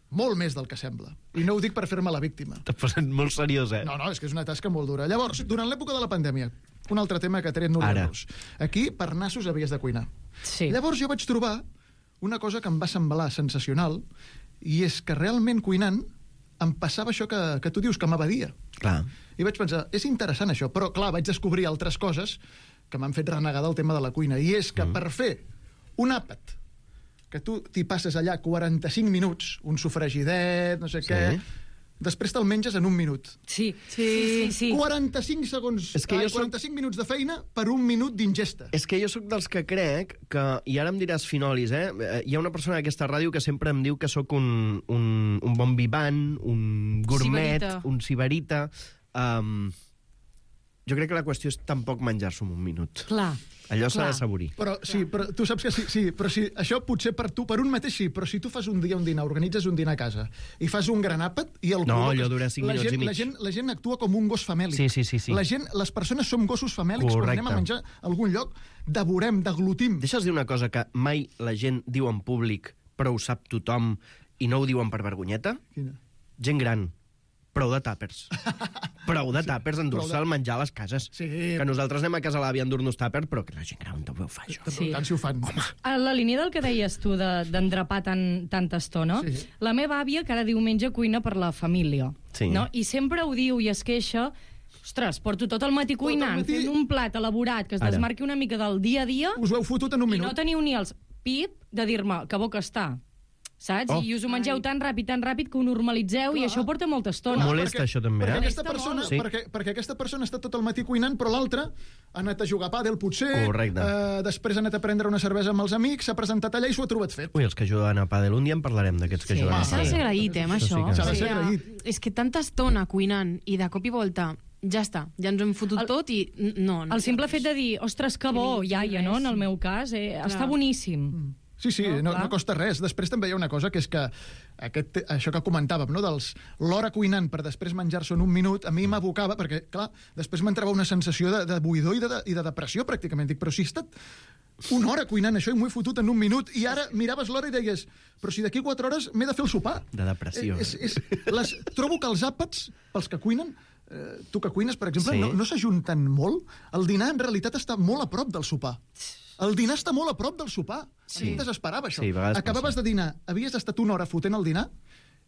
Molt més del que sembla. I no ho dic per fer-me la víctima. T'has posat molt seriós, eh? No, no, és que és una tasca molt dura. Llavors, durant l'època de la pandèmia, un altre tema que ha tret Núria Ara. Ros. Aquí, per nassos, havies de cuinar. Sí. Llavors jo vaig trobar una cosa que em va semblar sensacional, i és que realment cuinant em passava això que, que tu dius, que m'abadia. Clar. I vaig pensar, és interessant això, però clar, vaig descobrir altres coses que m'han fet renegar del tema de la cuina, i és que mm. per fer un àpat, que tu t'hi passes allà quaranta-cinc minuts, un sofregidet, no sé Sí. què, després te'l menges en un minut. Sí, sí, sí. sí. quaranta-cinc segons, És que ai, jo soc- quaranta-cinc minuts de feina per un minut d'ingesta. És que jo sóc dels que crec que, i ara em diràs finolis, eh? eh, hi ha una persona d'aquesta ràdio que sempre em diu que sóc un, un, un bon vivant, un gourmet, Sibarita. un sibarita. Um, jo crec que la qüestió és tampoc menjar-s'ho en un minut. Clar. Allò s'ha Clar. de saborir. Però sí, però tu saps que sí, sí, però sí, això potser per tu, per un mateix sí, però si tu fas un dia un dinar, organitzes un dinar a casa i fas un gran àpat i el No, col·loques- allò dura cinc la minuts gent, i mig. La gent, la gent actua com un gos famèlic. Sí, sí, sí, sí. La gent, les persones som gossos famèlics Correcte. quan anem a menjar a algun lloc, devorem, deglutim. Deixa'ls dir una cosa que mai la gent diu en públic, però ho sap tothom, i no ho diuen per vergonyeta? Quina? Gent gran. Prou de tàpers. Prou de tàpers, prou endur-se de- el menjar a les cases. Sí. Que nosaltres anem a casa l'àvia a endur-nos tàpers, però que la gent gran també ho fa, això. Sí. Tant si ho fan. Home. A la línia del que deies tu de- d'endrapar tan, tanta estona, Sí. la meva àvia cada diumenge cuina per la família. Sí. No? I sempre ho diu i es queixa, ostres, porto tot el matí Tot el cuinant, matí- fent un plat elaborat que es Ara. desmarqui una mica del dia a dia Us ho heu fotut en un i minut. no teniu ni els pip de dir-me que bo que està. saps? Oh. I us ho mengeu tan ràpid, tan ràpid que ho normalitzeu i això porta molta estona. Molesta, això, també, perquè eh? Aquesta persona, Sí. perquè, perquè aquesta persona està tot el matí cuinant, però l'altre ha anat a jugar a pàdel, potser, Correcte. eh, després ha anat a prendre una cervesa amb els amics, s'ha presentat allà i s'ho ha trobat fet. Ui, els que juguen a pàdel, un dia en parlarem d'aquests que Sí, juguen a s'ha de ser pàdel. agraït, eh, amb Això sí això. que- S'ha de ser O sigui, agraït. És que tanta estona cuinant i de cop i volta ja està, ja ens ho hem fotut El- tot i n- no. no El simple fet de dir, ostres, que bo, Sí, iaia, no?, en el meu cas, eh, està boníssim. Sí, sí, No, no, clar. no costa res. Després també hi ha una cosa, que és que aquest, això que comentàvem, no? dels l'hora cuinant per després menjar-se en un minut, a mi m'abocava, perquè, clar, després m'entrava una sensació de, de buidor i de, de, i de depressió, pràcticament. Dic, però si he estat una hora cuinant això i m'ho he fotut en un minut, i ara miraves l'hora i deies, però si d'aquí quatre hores m'he de fer el sopar. De depressió. Eh, És, és, les, trobo que els àpats, pels que cuinen, eh, tu que cuines, per exemple, Sí. no, no s'ajunten molt. El dinar, en realitat, està molt a prop del sopar. El dinar està molt a prop del sopar. Sí. A mi em desesperava, això. Sí, a vegades Acabaves passa. de dinar, havies estat una hora fotent el dinar,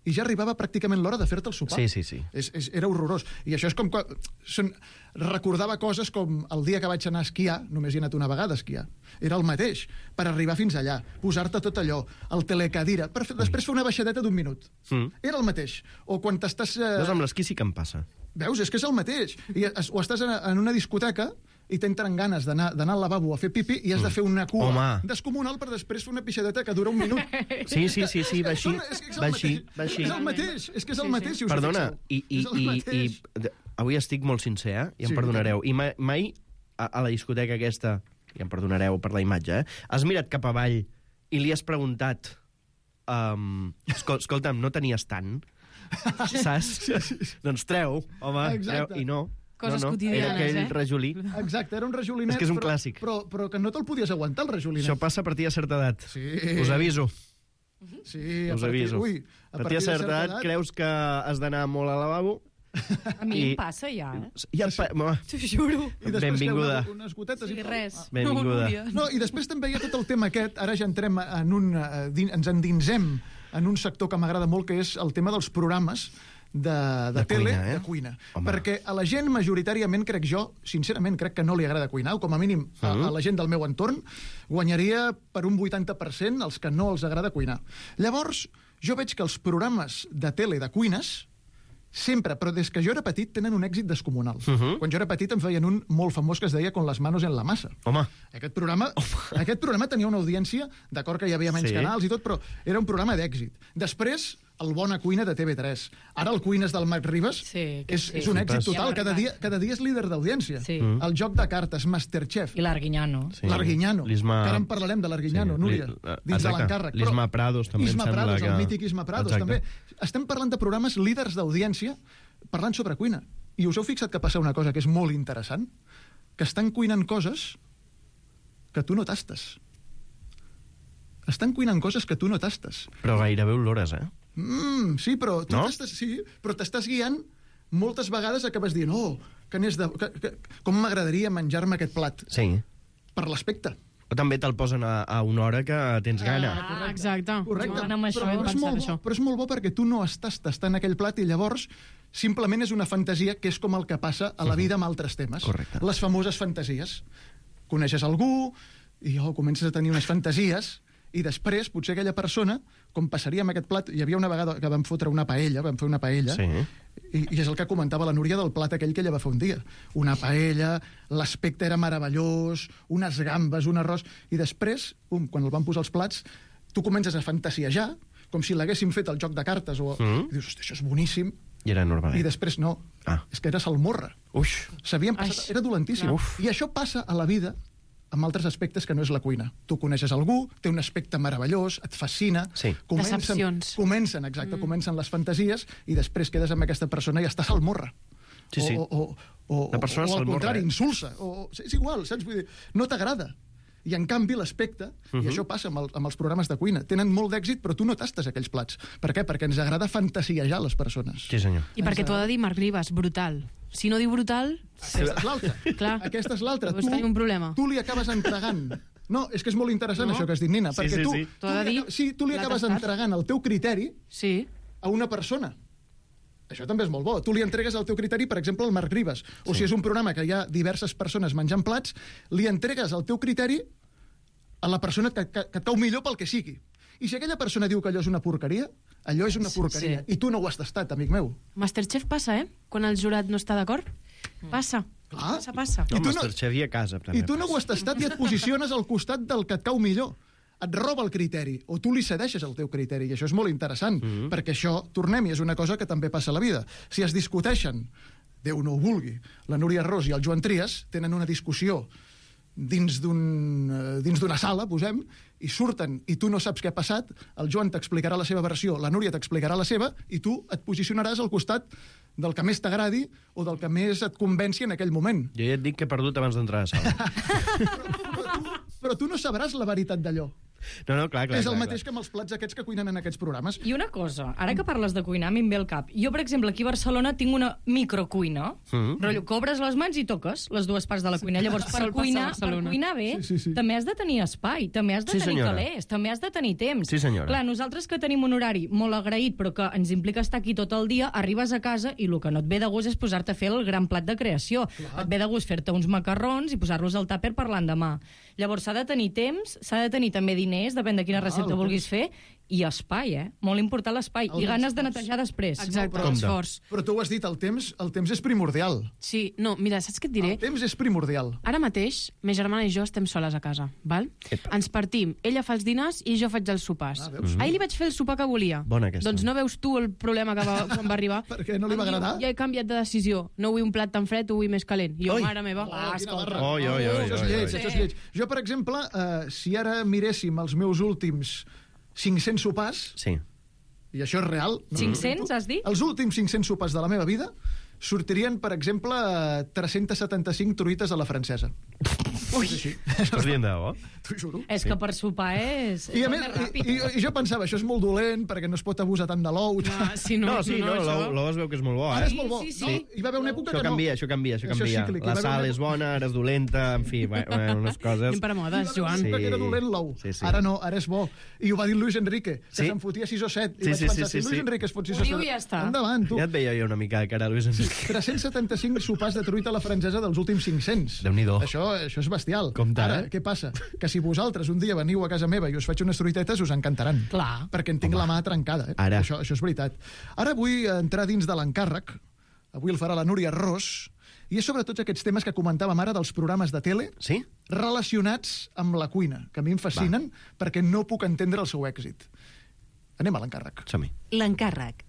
i ja arribava pràcticament l'hora de fer-te el sopar. Sí, sí, sí. És, és, era horrorós. I això és com... que- Són, recordava coses com el dia que vaig anar a esquiar, només hi he anat una vegada a esquiar, era el mateix, per arribar fins allà, posar-te tot allò, el telecadira, per fer, després fer una baixadeta d'un minut. Mm. Era el mateix. O quan t'estàs... Eh... Doncs amb l'esquí sí que em passa. Veus? És que és el mateix. I es, o estàs en, en una discoteca i t'entren ganes d'anar d'anar al lavabo a fer pipi i has de fer una cua Home. descomunal per després fer una pixadeta que dura un minut. Sí, sí, sí, sí, va així, Són- és que és el va així, mateix. va així. És el mateix, és que és el mateix, si us hi Perdona, fixeu. i, i, És el i, i mateix. de- avui estic molt sincer, eh? I em Sí, perdonareu. I mai, mai a, a la discoteca aquesta, i em perdonareu per la imatge, eh? Has mirat cap avall i li has preguntat um, escol escolta'm, no tenies tant? Saps? Sí, sí. Doncs treu, home, Exacte. treu, i no. Coses no, no. quotidianes, Era aquell eh? rajolí. Exacte, era un rajolinet. És que és un però, clàssic. Però, però que no te'l podies aguantar, el rajolinet. Això passa a partir de certa edat. Sí. Us aviso. Sí, a Us partir, aviso. ui, a partir de certa edat, creus que has d'anar molt al lavabo. A mi I- em passa ja, eh? Ja et pa... Home, T'ho juro. I després benvinguda. Una, unes gotetes Sí, i... res. Benvinguda. No, i després també hi ha tot el tema aquest, ara ja entrem en un... eh, din- ens endinsem en un sector que m'agrada molt, que és el tema dels programes de, de, De tele cuina, eh? de cuina. Home. Perquè a la gent majoritàriament, crec jo, sincerament crec que no li agrada cuinar, o com a mínim a, Mm. a la gent del meu entorn, guanyaria per un vuitanta per cent els que no els agrada cuinar. Llavors, jo veig que els programes de tele de cuines sempre, però des que jo era petit, tenen un èxit descomunal. Mhm. Quan jo era petit em feien un molt famós que es deia Con las manos en la masa. Home, Aquest programa, aquest programa tenia una audiència, d'acord que hi havia menys Sí. canals i tot, però era un programa d'èxit. Després, el Bona Cuina de T V tres. Ara el Cuines del Marc Ribas Sí, que és, sí. és un èxit Sí, total. ja Cada m'ha dia, cada dia és líder d'audiència. Sí. Mm. El joc de cartes, Masterchef, I l'Arguinyano. sí. l'Arguinyano. L'Isma... Que ara en parlarem de l'Arguinyano, Sí, Núria, li- eh, dins de exacte. l'encàrrec. Però- L'Isma Prados també em Isma sembla Prados, que- el mític Isma Prados, Exacte. també. Estem parlant de programes líders d'audiència parlant sobre cuina. I us heu fixat que passa una cosa que és molt interessant? Que estan cuinant coses que tu no tastes. Estan cuinant coses que tu no tastes. Però gairebé olores, eh? Mm, sí, però tu No? t'estàs, sí, però t'estàs guiant moltes vegades acabes dient, oh, que n'és de... Que, que, com m'agradaria menjar-me aquest plat? Sí. Per l'aspecte. O també te'l posen a, a una hora que tens gana. Ah, exacte. Correcte. Joan, amb això però, he però, és pensat molt bo, això. però és molt bo perquè tu no estàs tastant aquell plat i llavors simplement és una fantasia que és com el que passa a la vida amb altres temes. Correcte. Les famoses fantasies. Coneixes algú i oh, comences a tenir unes fantasies i després, potser aquella persona, com passaria amb aquest plat, hi havia una vegada que vam fotre una paella, vam fer una paella, Sí. i, i és el que comentava la Núria del plat aquell que ella va fer un dia. Una paella, l'aspecte era meravellós, unes gambes, un arròs, i després, um, quan el van posar els plats, tu comences a fantasiejar, com si l'haguessin fet el joc de cartes, o... Mm. i dius, hosti, això és boníssim, I era normalet. i després no, Ah. és que era salmorra. Uix. S'havien passat, Ai, era dolentíssim. clar. Uf. I això passa a la vida amb altres aspectes que no és la cuina. Tu coneixes algú, té un aspecte meravellós, et fascina, Sí. comencen, Decepcions. comencen, exacte, mm. comencen les fantasies i després quedes amb aquesta persona i estàs salmorra. Sí, sí. O, o, o, La persona o, o al salmorra, contrari, eh? insulsa. O, és igual, saps? Vull dir, no t'agrada. I, en canvi, l'aspecte, uh -huh. i Mhm. això passa amb, el, amb els programes de cuina, tenen molt d'èxit, però tu no tastes aquells plats. Per què? Perquè ens agrada fantasiejar les persones. Sí, senyor. I perquè t'ho ha de dir Marc Ribas, brutal. Si no diu brutal, Aquesta és l'altra. Clar. Aquesta és l'altra. Llavors tenim un problema. Tu li acabes entregant... No, és que és molt interessant No? això que has dit, Nina, Sí, perquè sí, tu, sí. tu, T'ho ha de li, dir, acabes- sí, tu li l'ha acabes tastat. entregant el teu criteri sí. a una persona. Això també és molt bo. Tu li entregues el teu criteri, per exemple, al Marc Ribas. O Sí. si és un programa que hi ha diverses persones menjant plats, li entregues el teu criteri a la persona que, que, que et cau millor pel que sigui. I si aquella persona diu que allò és una porqueria, allò és una porqueria. sí. I tu no ho has tastat, amic meu. Masterchef passa, eh? Quan el jurat no està d'acord. Passa. Clar. Passa, passa. No, I tu no- Masterchef i a casa, també. I tu no ho has tastat i et posiciones al costat del que et cau millor. Et roba el criteri, o tu li cedeixes el teu criteri, i això és molt interessant, mm-hmm. perquè això, tornem-hi, és una cosa que també passa a la vida. Si es discuteixen, Déu no ho vulgui, la Núria Ros i el Joan Trias tenen una discussió dins d'un, eh, dins d'una sala, posem, i surten, i tu no saps què ha passat, el Joan t'explicarà la seva versió, la Núria t'explicarà la seva, i tu et posicionaràs al costat del que més t'agradi o del que més et convenci en aquell moment. Jo ja et dic que he perdut abans d'entrar a la sala. Però tu, però tu no sabràs la veritat d'allò. No, no, clar, clar. És el clar, mateix que amb els plats aquests que cuinen en aquests programes. I una cosa, ara que parles de cuinar, a mi em ve al cap. Jo, per exemple, aquí a Barcelona tinc una microcuina. Mm. Rotllo, cobres les mans i toques les dues parts de la cuina. Llavors, per Sol passa a cuinar, per Barcelona. cuinar bé, Sí, sí, sí. també has de tenir espai, també has de Sí, tenir senyora. calés, també has de tenir temps. Sí, senyora. Clar, nosaltres que tenim un horari molt agraït, però que ens implica estar aquí tot el dia, arribes a casa i el que no et ve de gust és posar-te a fer el gran plat de creació. Clar. Et ve de gust fer-te uns macarrons i posar-los al tàper per l'endemà. Llavors, s'ha de tenir temps, s'ha de tenir també diners, depèn de quina recepta el vulguis fer, i espai, eh? Molt important l'espai. El I ganes de temps. netejar després. Exacte, Com de? esforç. Però tu ho has dit, el temps, el temps és primordial. Sí, no, mira, saps què et diré? El temps és primordial. Ara mateix, ma germana i jo estem soles a casa, val? Epa. Ens partim. Ella fa els dinars i jo faig els sopars. Ah, veus? Ahir li vaig fer el sopar que volia. Bona aquesta. Doncs no veus tu el problema que va, quan va arribar? Per què no li va Em diu, agradar? Ja he canviat de decisió. No vull un plat tan fred, ho vull més calent. I jo, Oi. mare meva. Oh, quina barra. Oi, oi, oi, Això és oi, lleig, oi. això és lleig. Jo, per exemple, eh, si ara miréssim els meus últims cinc-cents sopars, Sí. i això és real... no cinc-cents, has dit? Els últims cinc-cents sopars de la meva vida sortirien, per exemple, eh, tres-cents setanta-cinc truites a la francesa. Ui. És així. Estàs dient de debò? T'ho juro. És que per sopar és, I, és a més més, ràpid. i, i, i jo pensava, això és molt dolent perquè no es pot abusar tant de l'ou. Ah, sí, no, No, sí, no, això- l'ou l'ou es veu que és molt bo, Ara eh? és molt bo. Sí, sí, No, sí. hi va haver una època Això que no. canvia, això canvia, això Això és canvia. cíclic, hi La va haver sal una- és bona, ara és dolenta, en fi, bé, bé, unes coses... Anem per modes, Hi va Joan. haver una època Sí. que era dolent l'ou. Sí, sí. Ara no, ara és bo. I ho va dir Luis Enrique, que Sí? se'n fotia sis o set. I Sí, vaig sí, pensar, sí, sí, si Luis sí. Enrique es fot sis Ho o diu set... i ja està. Endavant, tu. Ja et veia jo una mica de cara a Luis Enrique. tres-cents setanta-cinc sopars de truita a la francesa dels últims cinc-cents. Déu-n'hi-do. Això, això és bestial. Compte, Ara, eh? què passa? Que si vosaltres un dia veniu a casa meva i us faig unes truitetes, us encantaran. Clar. Perquè en tinc la mà trencada. Eh? Ara. Això, això és veritat. Ara vull entrar dins de l'encàrrec. Avui el farà la Núria Ros. I és sobre tots aquests temes que comentàvem ara dels programes de tele Sí? relacionats amb la cuina, que a mi em fascinen perquè no puc entendre el seu èxit. Anem a l'encàrrec. Som-hi. L'encàrrec.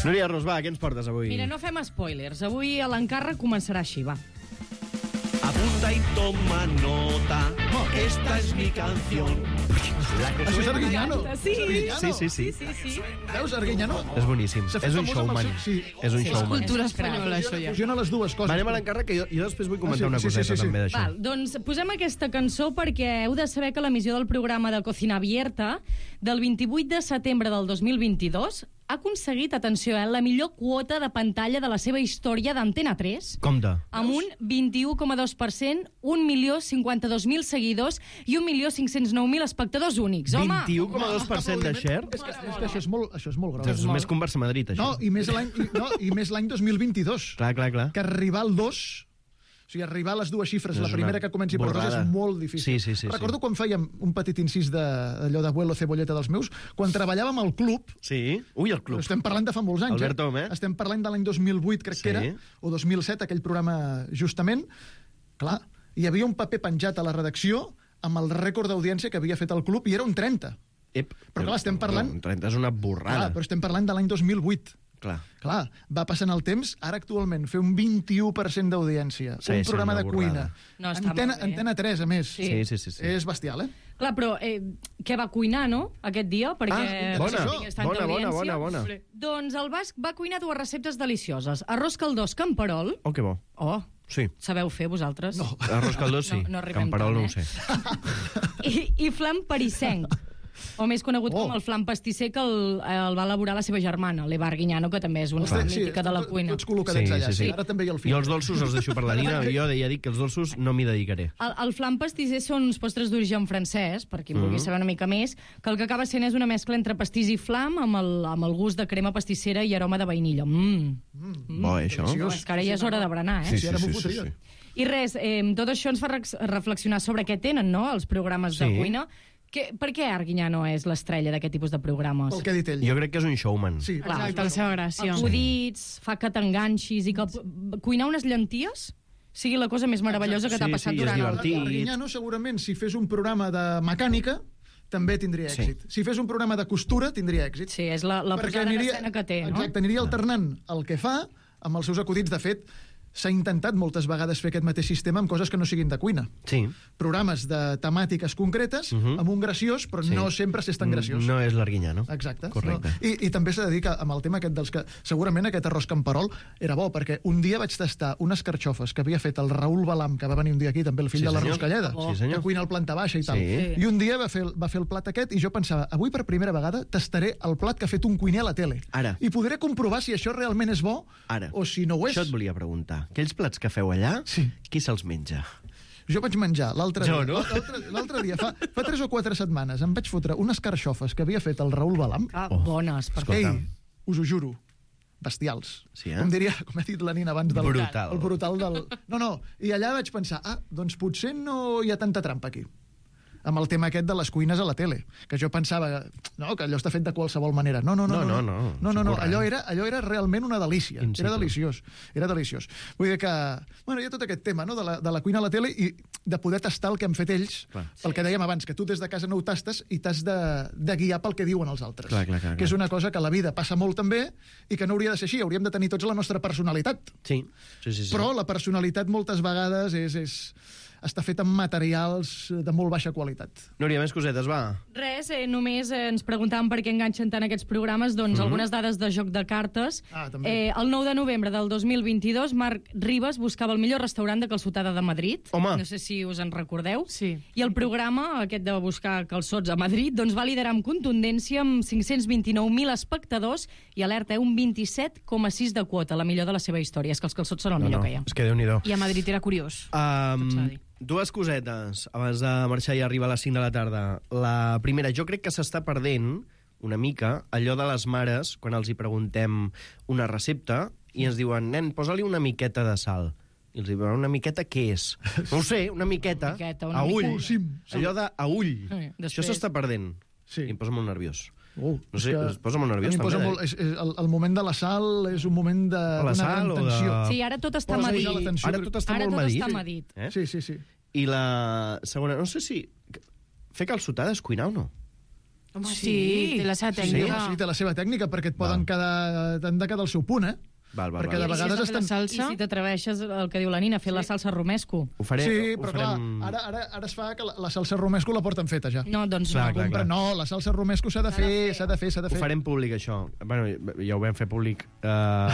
Núria Ros, va, què ens portes avui? Mira, no fem spoilers. Avui a l'encàrrec començarà així, va. Apunta y toma nota. Esta es mi canción. La que Això és suena Arguiñano. Sí. Arguiñano. Sí, sí, sí. Sí, sí, sí. Veus, Arguiñano? És boníssim. S'ha fet És un famós amb el showman. seu- sí. És un Sí, showman. Cultura espanyola, això ja. Fusiona les dues coses. Va, anem a l'encàrrec, que jo, jo després vull comentar Ah, sí, una sí, sí, coseta sí, sí. també d'això. Val, doncs posem aquesta cançó perquè heu de saber que l'emissió del programa de Cocina Abierta del vint-i-vuit de setembre del dos mil vint-i-dos ha aconseguit, atenció, eh, la millor quota de pantalla de la seva història d'Antena tres, Compte. amb un vint-i-u coma dos per cent, un milió cinquanta-dos mil seguidors i un milió cinc-cents nou mil espectadors únics. Home, vint-i-u coma dos per cent de share? És que, és que això és molt, això és molt gros. És més conversa a Madrid, això. No, i més l'any i, no, i més l'any dos mil vint-i-dos. Clar, clar, clar. Que arribar al dos... O sigui, arribar a les dues xifres, És la primera una que comenci per dos, borrada. és molt difícil. Sí, sí, sí, Recordo sí. quan fèiem un petit incís de- d'allò d'abuelo cebolleta dels meus, quan treballàvem al club, Sí? Ui, el club. però estem parlant de fa molts anys, Albert Tom, eh? Estem parlant de l'any dos mil vuit, crec Sí. que era, o dos mil set, aquell programa justament. Clar, hi havia un paper penjat a la redacció amb el rècord d'audiència que havia fet el club i era un trenta. Ep. Però clar, estem parlant- No, trenta és una borrada. Clar, però estem parlant de l'any dos mil vuit. Clar. Clar, va passant el temps, ara actualment fer un vint-i-u per cent d'audiència, Sí, un sí, programa una de borrada. cuina, No, està Antena, molt bé. Antena tres, a més. Sí, sí, sí. sí. És bestial, eh? clar, però eh, què va cuinar, no?, aquest dia? Perquè Ah, bona, perquè tingués tanta bona, bona, audiència. bona, bona. Doncs el Basc va cuinar dues receptes delicioses. Arròs caldós camperol. Oh, que bo. Oh, Sí. sabeu fer vosaltres? No. Arròs caldós, sí. No, no arribem Camperol tant, no ho eh? sé. I, i flam parisenc. O més conegut oh. com el flam pastisser, que el, el va elaborar la seva germana, l'Eva Arguiñano, que també és una Hosti, mítica sí, de la tot, cuina. Tots col·locadets Sí, allà, sí, sí. Ara també hi ha el fill. Jo els dolços els deixo per la Nina, jo ja dic que els dolços no m'hi dedicaré. El, el flam pastisser són uns postres d'origen francès, per qui Mm. vulgui saber una mica més, que el que acaba sent és una mescla entre pastís i flam amb el, amb el gust de crema pastissera i aroma de vainilla. Mm. Mm. Bo, eh, això? És que ara ja és hora de berenar, eh? Sí, sí, sí, sí, sí. I res, eh, tot això ens fa rex- reflexionar sobre què tenen, no?, els programes de Sí. cuina. Que, per què Arguiñano és l'estrella d'aquest tipus de programes? Pel que ha dit ell. Jo crec que és un showman. Sí, Clar, Exacte, la seva gràcia. acudits, fa que t'enganxis i que p- cuinar unes llenties sigui la cosa més meravellosa que t'ha Sí, passat sí, és durant el divertit. Arguiñano segurament, si fes un programa de mecànica, també tindria Sí. èxit. Si fes un programa de costura, tindria èxit. Sí, és la, la Perquè posada aniria- en escena que té, no? Exacte, aniria alternant el que fa amb els seus acudits. De fet, s'ha intentat moltes vegades fer aquest mateix sistema amb coses que no siguin de cuina. Sí. Programes de temàtiques concretes, Uh -huh. amb un graciós, però Sí. no sempre s'és tan graciós. No és l'Arguiñano. Exacte. Correcte. No? I, I també s'ha de dir que amb el tema aquest dels que... Segurament aquest arròs camperol era bo, perquè un dia vaig tastar unes carxofes que havia fet el Raül Balam, que va venir un dia aquí, també el fill Sí, de la senyor. Ruscalleda, Sí, senyor. que cuina al planta baixa i tal. Sí. I un dia va fer, va fer el plat aquest i jo pensava, avui per primera vegada tastaré el plat que ha fet un cuiner a la tele. Ara. I podré comprovar si això realment és bo Ara. o si no ho és. Això et volia preguntar. Aquells plats que feu allà, Sí. qui se'ls menja? Jo vaig menjar l'altre Jo, dia, no? l'altre- l'altre dia fa, fa tres o quatre setmanes, em vaig fotre unes carxofes que havia fet el Raül Balam. Ah, bones, per escolta. Ei, us ho juro, bestials. Sí, eh? Com diria, com ha dit la Nina abans del... Brutal. El brutal del... No, no, i allà vaig pensar, ah, doncs potser no hi ha tanta trampa aquí, amb el tema aquest de les cuines a la tele, que jo pensava, no, que allò està fet de qualsevol manera. No, no, no, No, no, no, no, no, no, no. s'ho Allò, era, allò era realment una delícia. In situ. Era deliciós, era deliciós. Vull dir que, bueno, hi ha tot aquest tema, no?, de la, de la cuina a la tele i de poder tastar el que han fet ells, Clar. pel que dèiem abans, que tu des de casa no ho tastes i t'has de, de guiar pel que diuen els altres. Clar, clar, clar, que és clar. una cosa que a la vida passa molt també i que no hauria de ser així. Hauríem de tenir tots la nostra personalitat. Sí, sí, sí. sí. Però la personalitat moltes vegades és, és, està feta amb materials de molt baixa qualitat. Núria, més cosetes, va. Res, eh, només eh, ens preguntàvem per què enganxen tant aquests programes, doncs Mhm. algunes dades de joc de cartes. Ah, també. Eh, el nou de novembre del dos mil vint-i-dos, Marc Ribas buscava el millor restaurant de calçotada de Madrid. Home. No sé si us en recordeu. Sí. I el programa, aquest de buscar calçots a Madrid, doncs va liderar amb contundència amb cinc-cents vint-i-nou mil espectadors i alerta, eh, un vint-i-set coma sis de quota, la millor de la seva història. És que els calçots són el millor que hi ha. És que Déu-n'hi-do. I a Madrid era curiós. Um, Tot s'ha de dir. dues cosetes abans de marxar i arribar a les cinc de la tarda. La primera, jo crec que s'està perdent una mica allò de les mares quan els hi preguntem una recepta i ens diuen, nen, posa-li una miqueta de sal. I els diuen, una miqueta què és? No ho sé, una miqueta, Una miqueta, una a ull. mica. Sí, sí. Allò de a ull. Sí, Això després- s'està perdent. Sí. I em posa molt nerviós. Uh, No sé, es posa molt nerviós, a mi em posa també, molt, eh? és, és, el, el moment de la sal és un moment de la d'una sal gran o de- tensió. Sí, ara tot està Posa medit. ja l'atenció. Ara tot està Ara molt tot medit. està medit. Eh? Sí, sí, sí. I la segona, no sé si... Fer calçotada és cuinar o no? Home, sí, Sí. té la seva Sí, tècnica. home, sí, té la seva tècnica, perquè et poden quedar, t'han de quedar al seu punt, eh? Val, val, perquè val. de I si vegades has de fer la estan... salsa? I si t'atreveixes, el que diu la Nina, fer la salsa romesco. Ho faré, Sí, ho però farem... clar, ara, ara, ara es fa que la, la salsa romesco la porten feta ja. No, doncs Clar, no. clar, Compra, no, la salsa romesco s'ha de fer, s'ha de fer, s'ha de Ho fer. farem públic, això. Bueno, ja ho vam fer públic eh,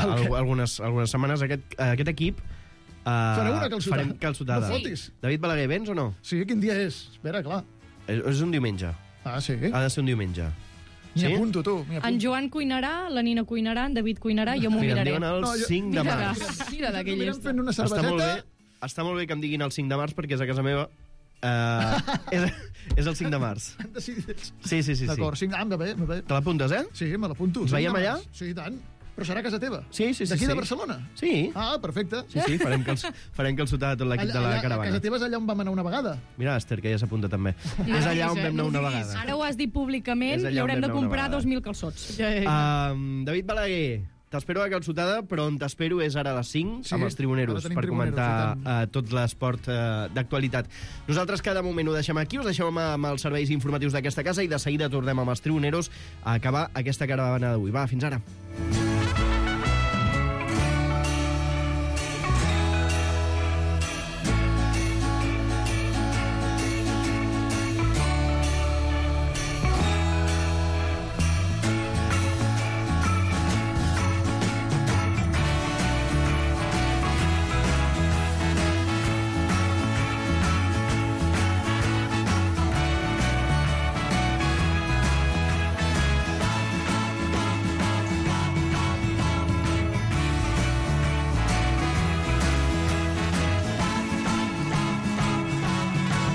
El què? algunes, algunes setmanes. Aquest, aquest equip... Eh, Fareu una calçotada? Farem calçotada. No fotis. David Balaguer, vens o no? Sí, quin dia és? Espera, clar. És, és un diumenge. Ah, sí? Ha de ser un diumenge. M'hi Sí? apunto, tu. m'hi En apunto. Joan cuinarà, la Nina cuinarà, en David cuinarà, jo m'ho Mira, em miraré. diuen el No, jo- cinc de Mira, març. mira d'aquell Anirem llest. fent una Està molt, bé, cerveseta. està molt bé que em diguin el cinc de març perquè és a casa meva. Uh, és, és el cinc de març. Han decidit. Sí, sí, sí. sí. D'acord, cinc, ah, me ve, me ve. Te l'apuntes, eh? Sí, me l'apunto. Ens cinc veiem de allà? març. Sí, i tant. Però serà a casa teva? Sí, sí, sí. D'aquí sí. de Barcelona? Sí. Ah, perfecte. Sí, sí, farem que els, farem que el sotar tot l'equip de la Allà- A caravana. casa teva és allà on vam anar una vegada. Mira, Esther, que ja s'apunta també. És allà on vam anar una vegada. Ara ho has dit públicament És allà i on haurem vam de anar una comprar vegada. dos mil calçots. Um, David Balaguer, t'espero a calçotada, però on t'espero és ara a les cinc, Sí, amb els tribuneros, ara tenim per tribuneros, comentar i tant. uh, tot l'esport uh, d'actualitat. Nosaltres cada moment ho deixem aquí, us deixem amb, amb els serveis informatius d'aquesta casa i de seguida tornem amb els tribuneros a acabar aquesta caravana d'avui. Va, fins ara.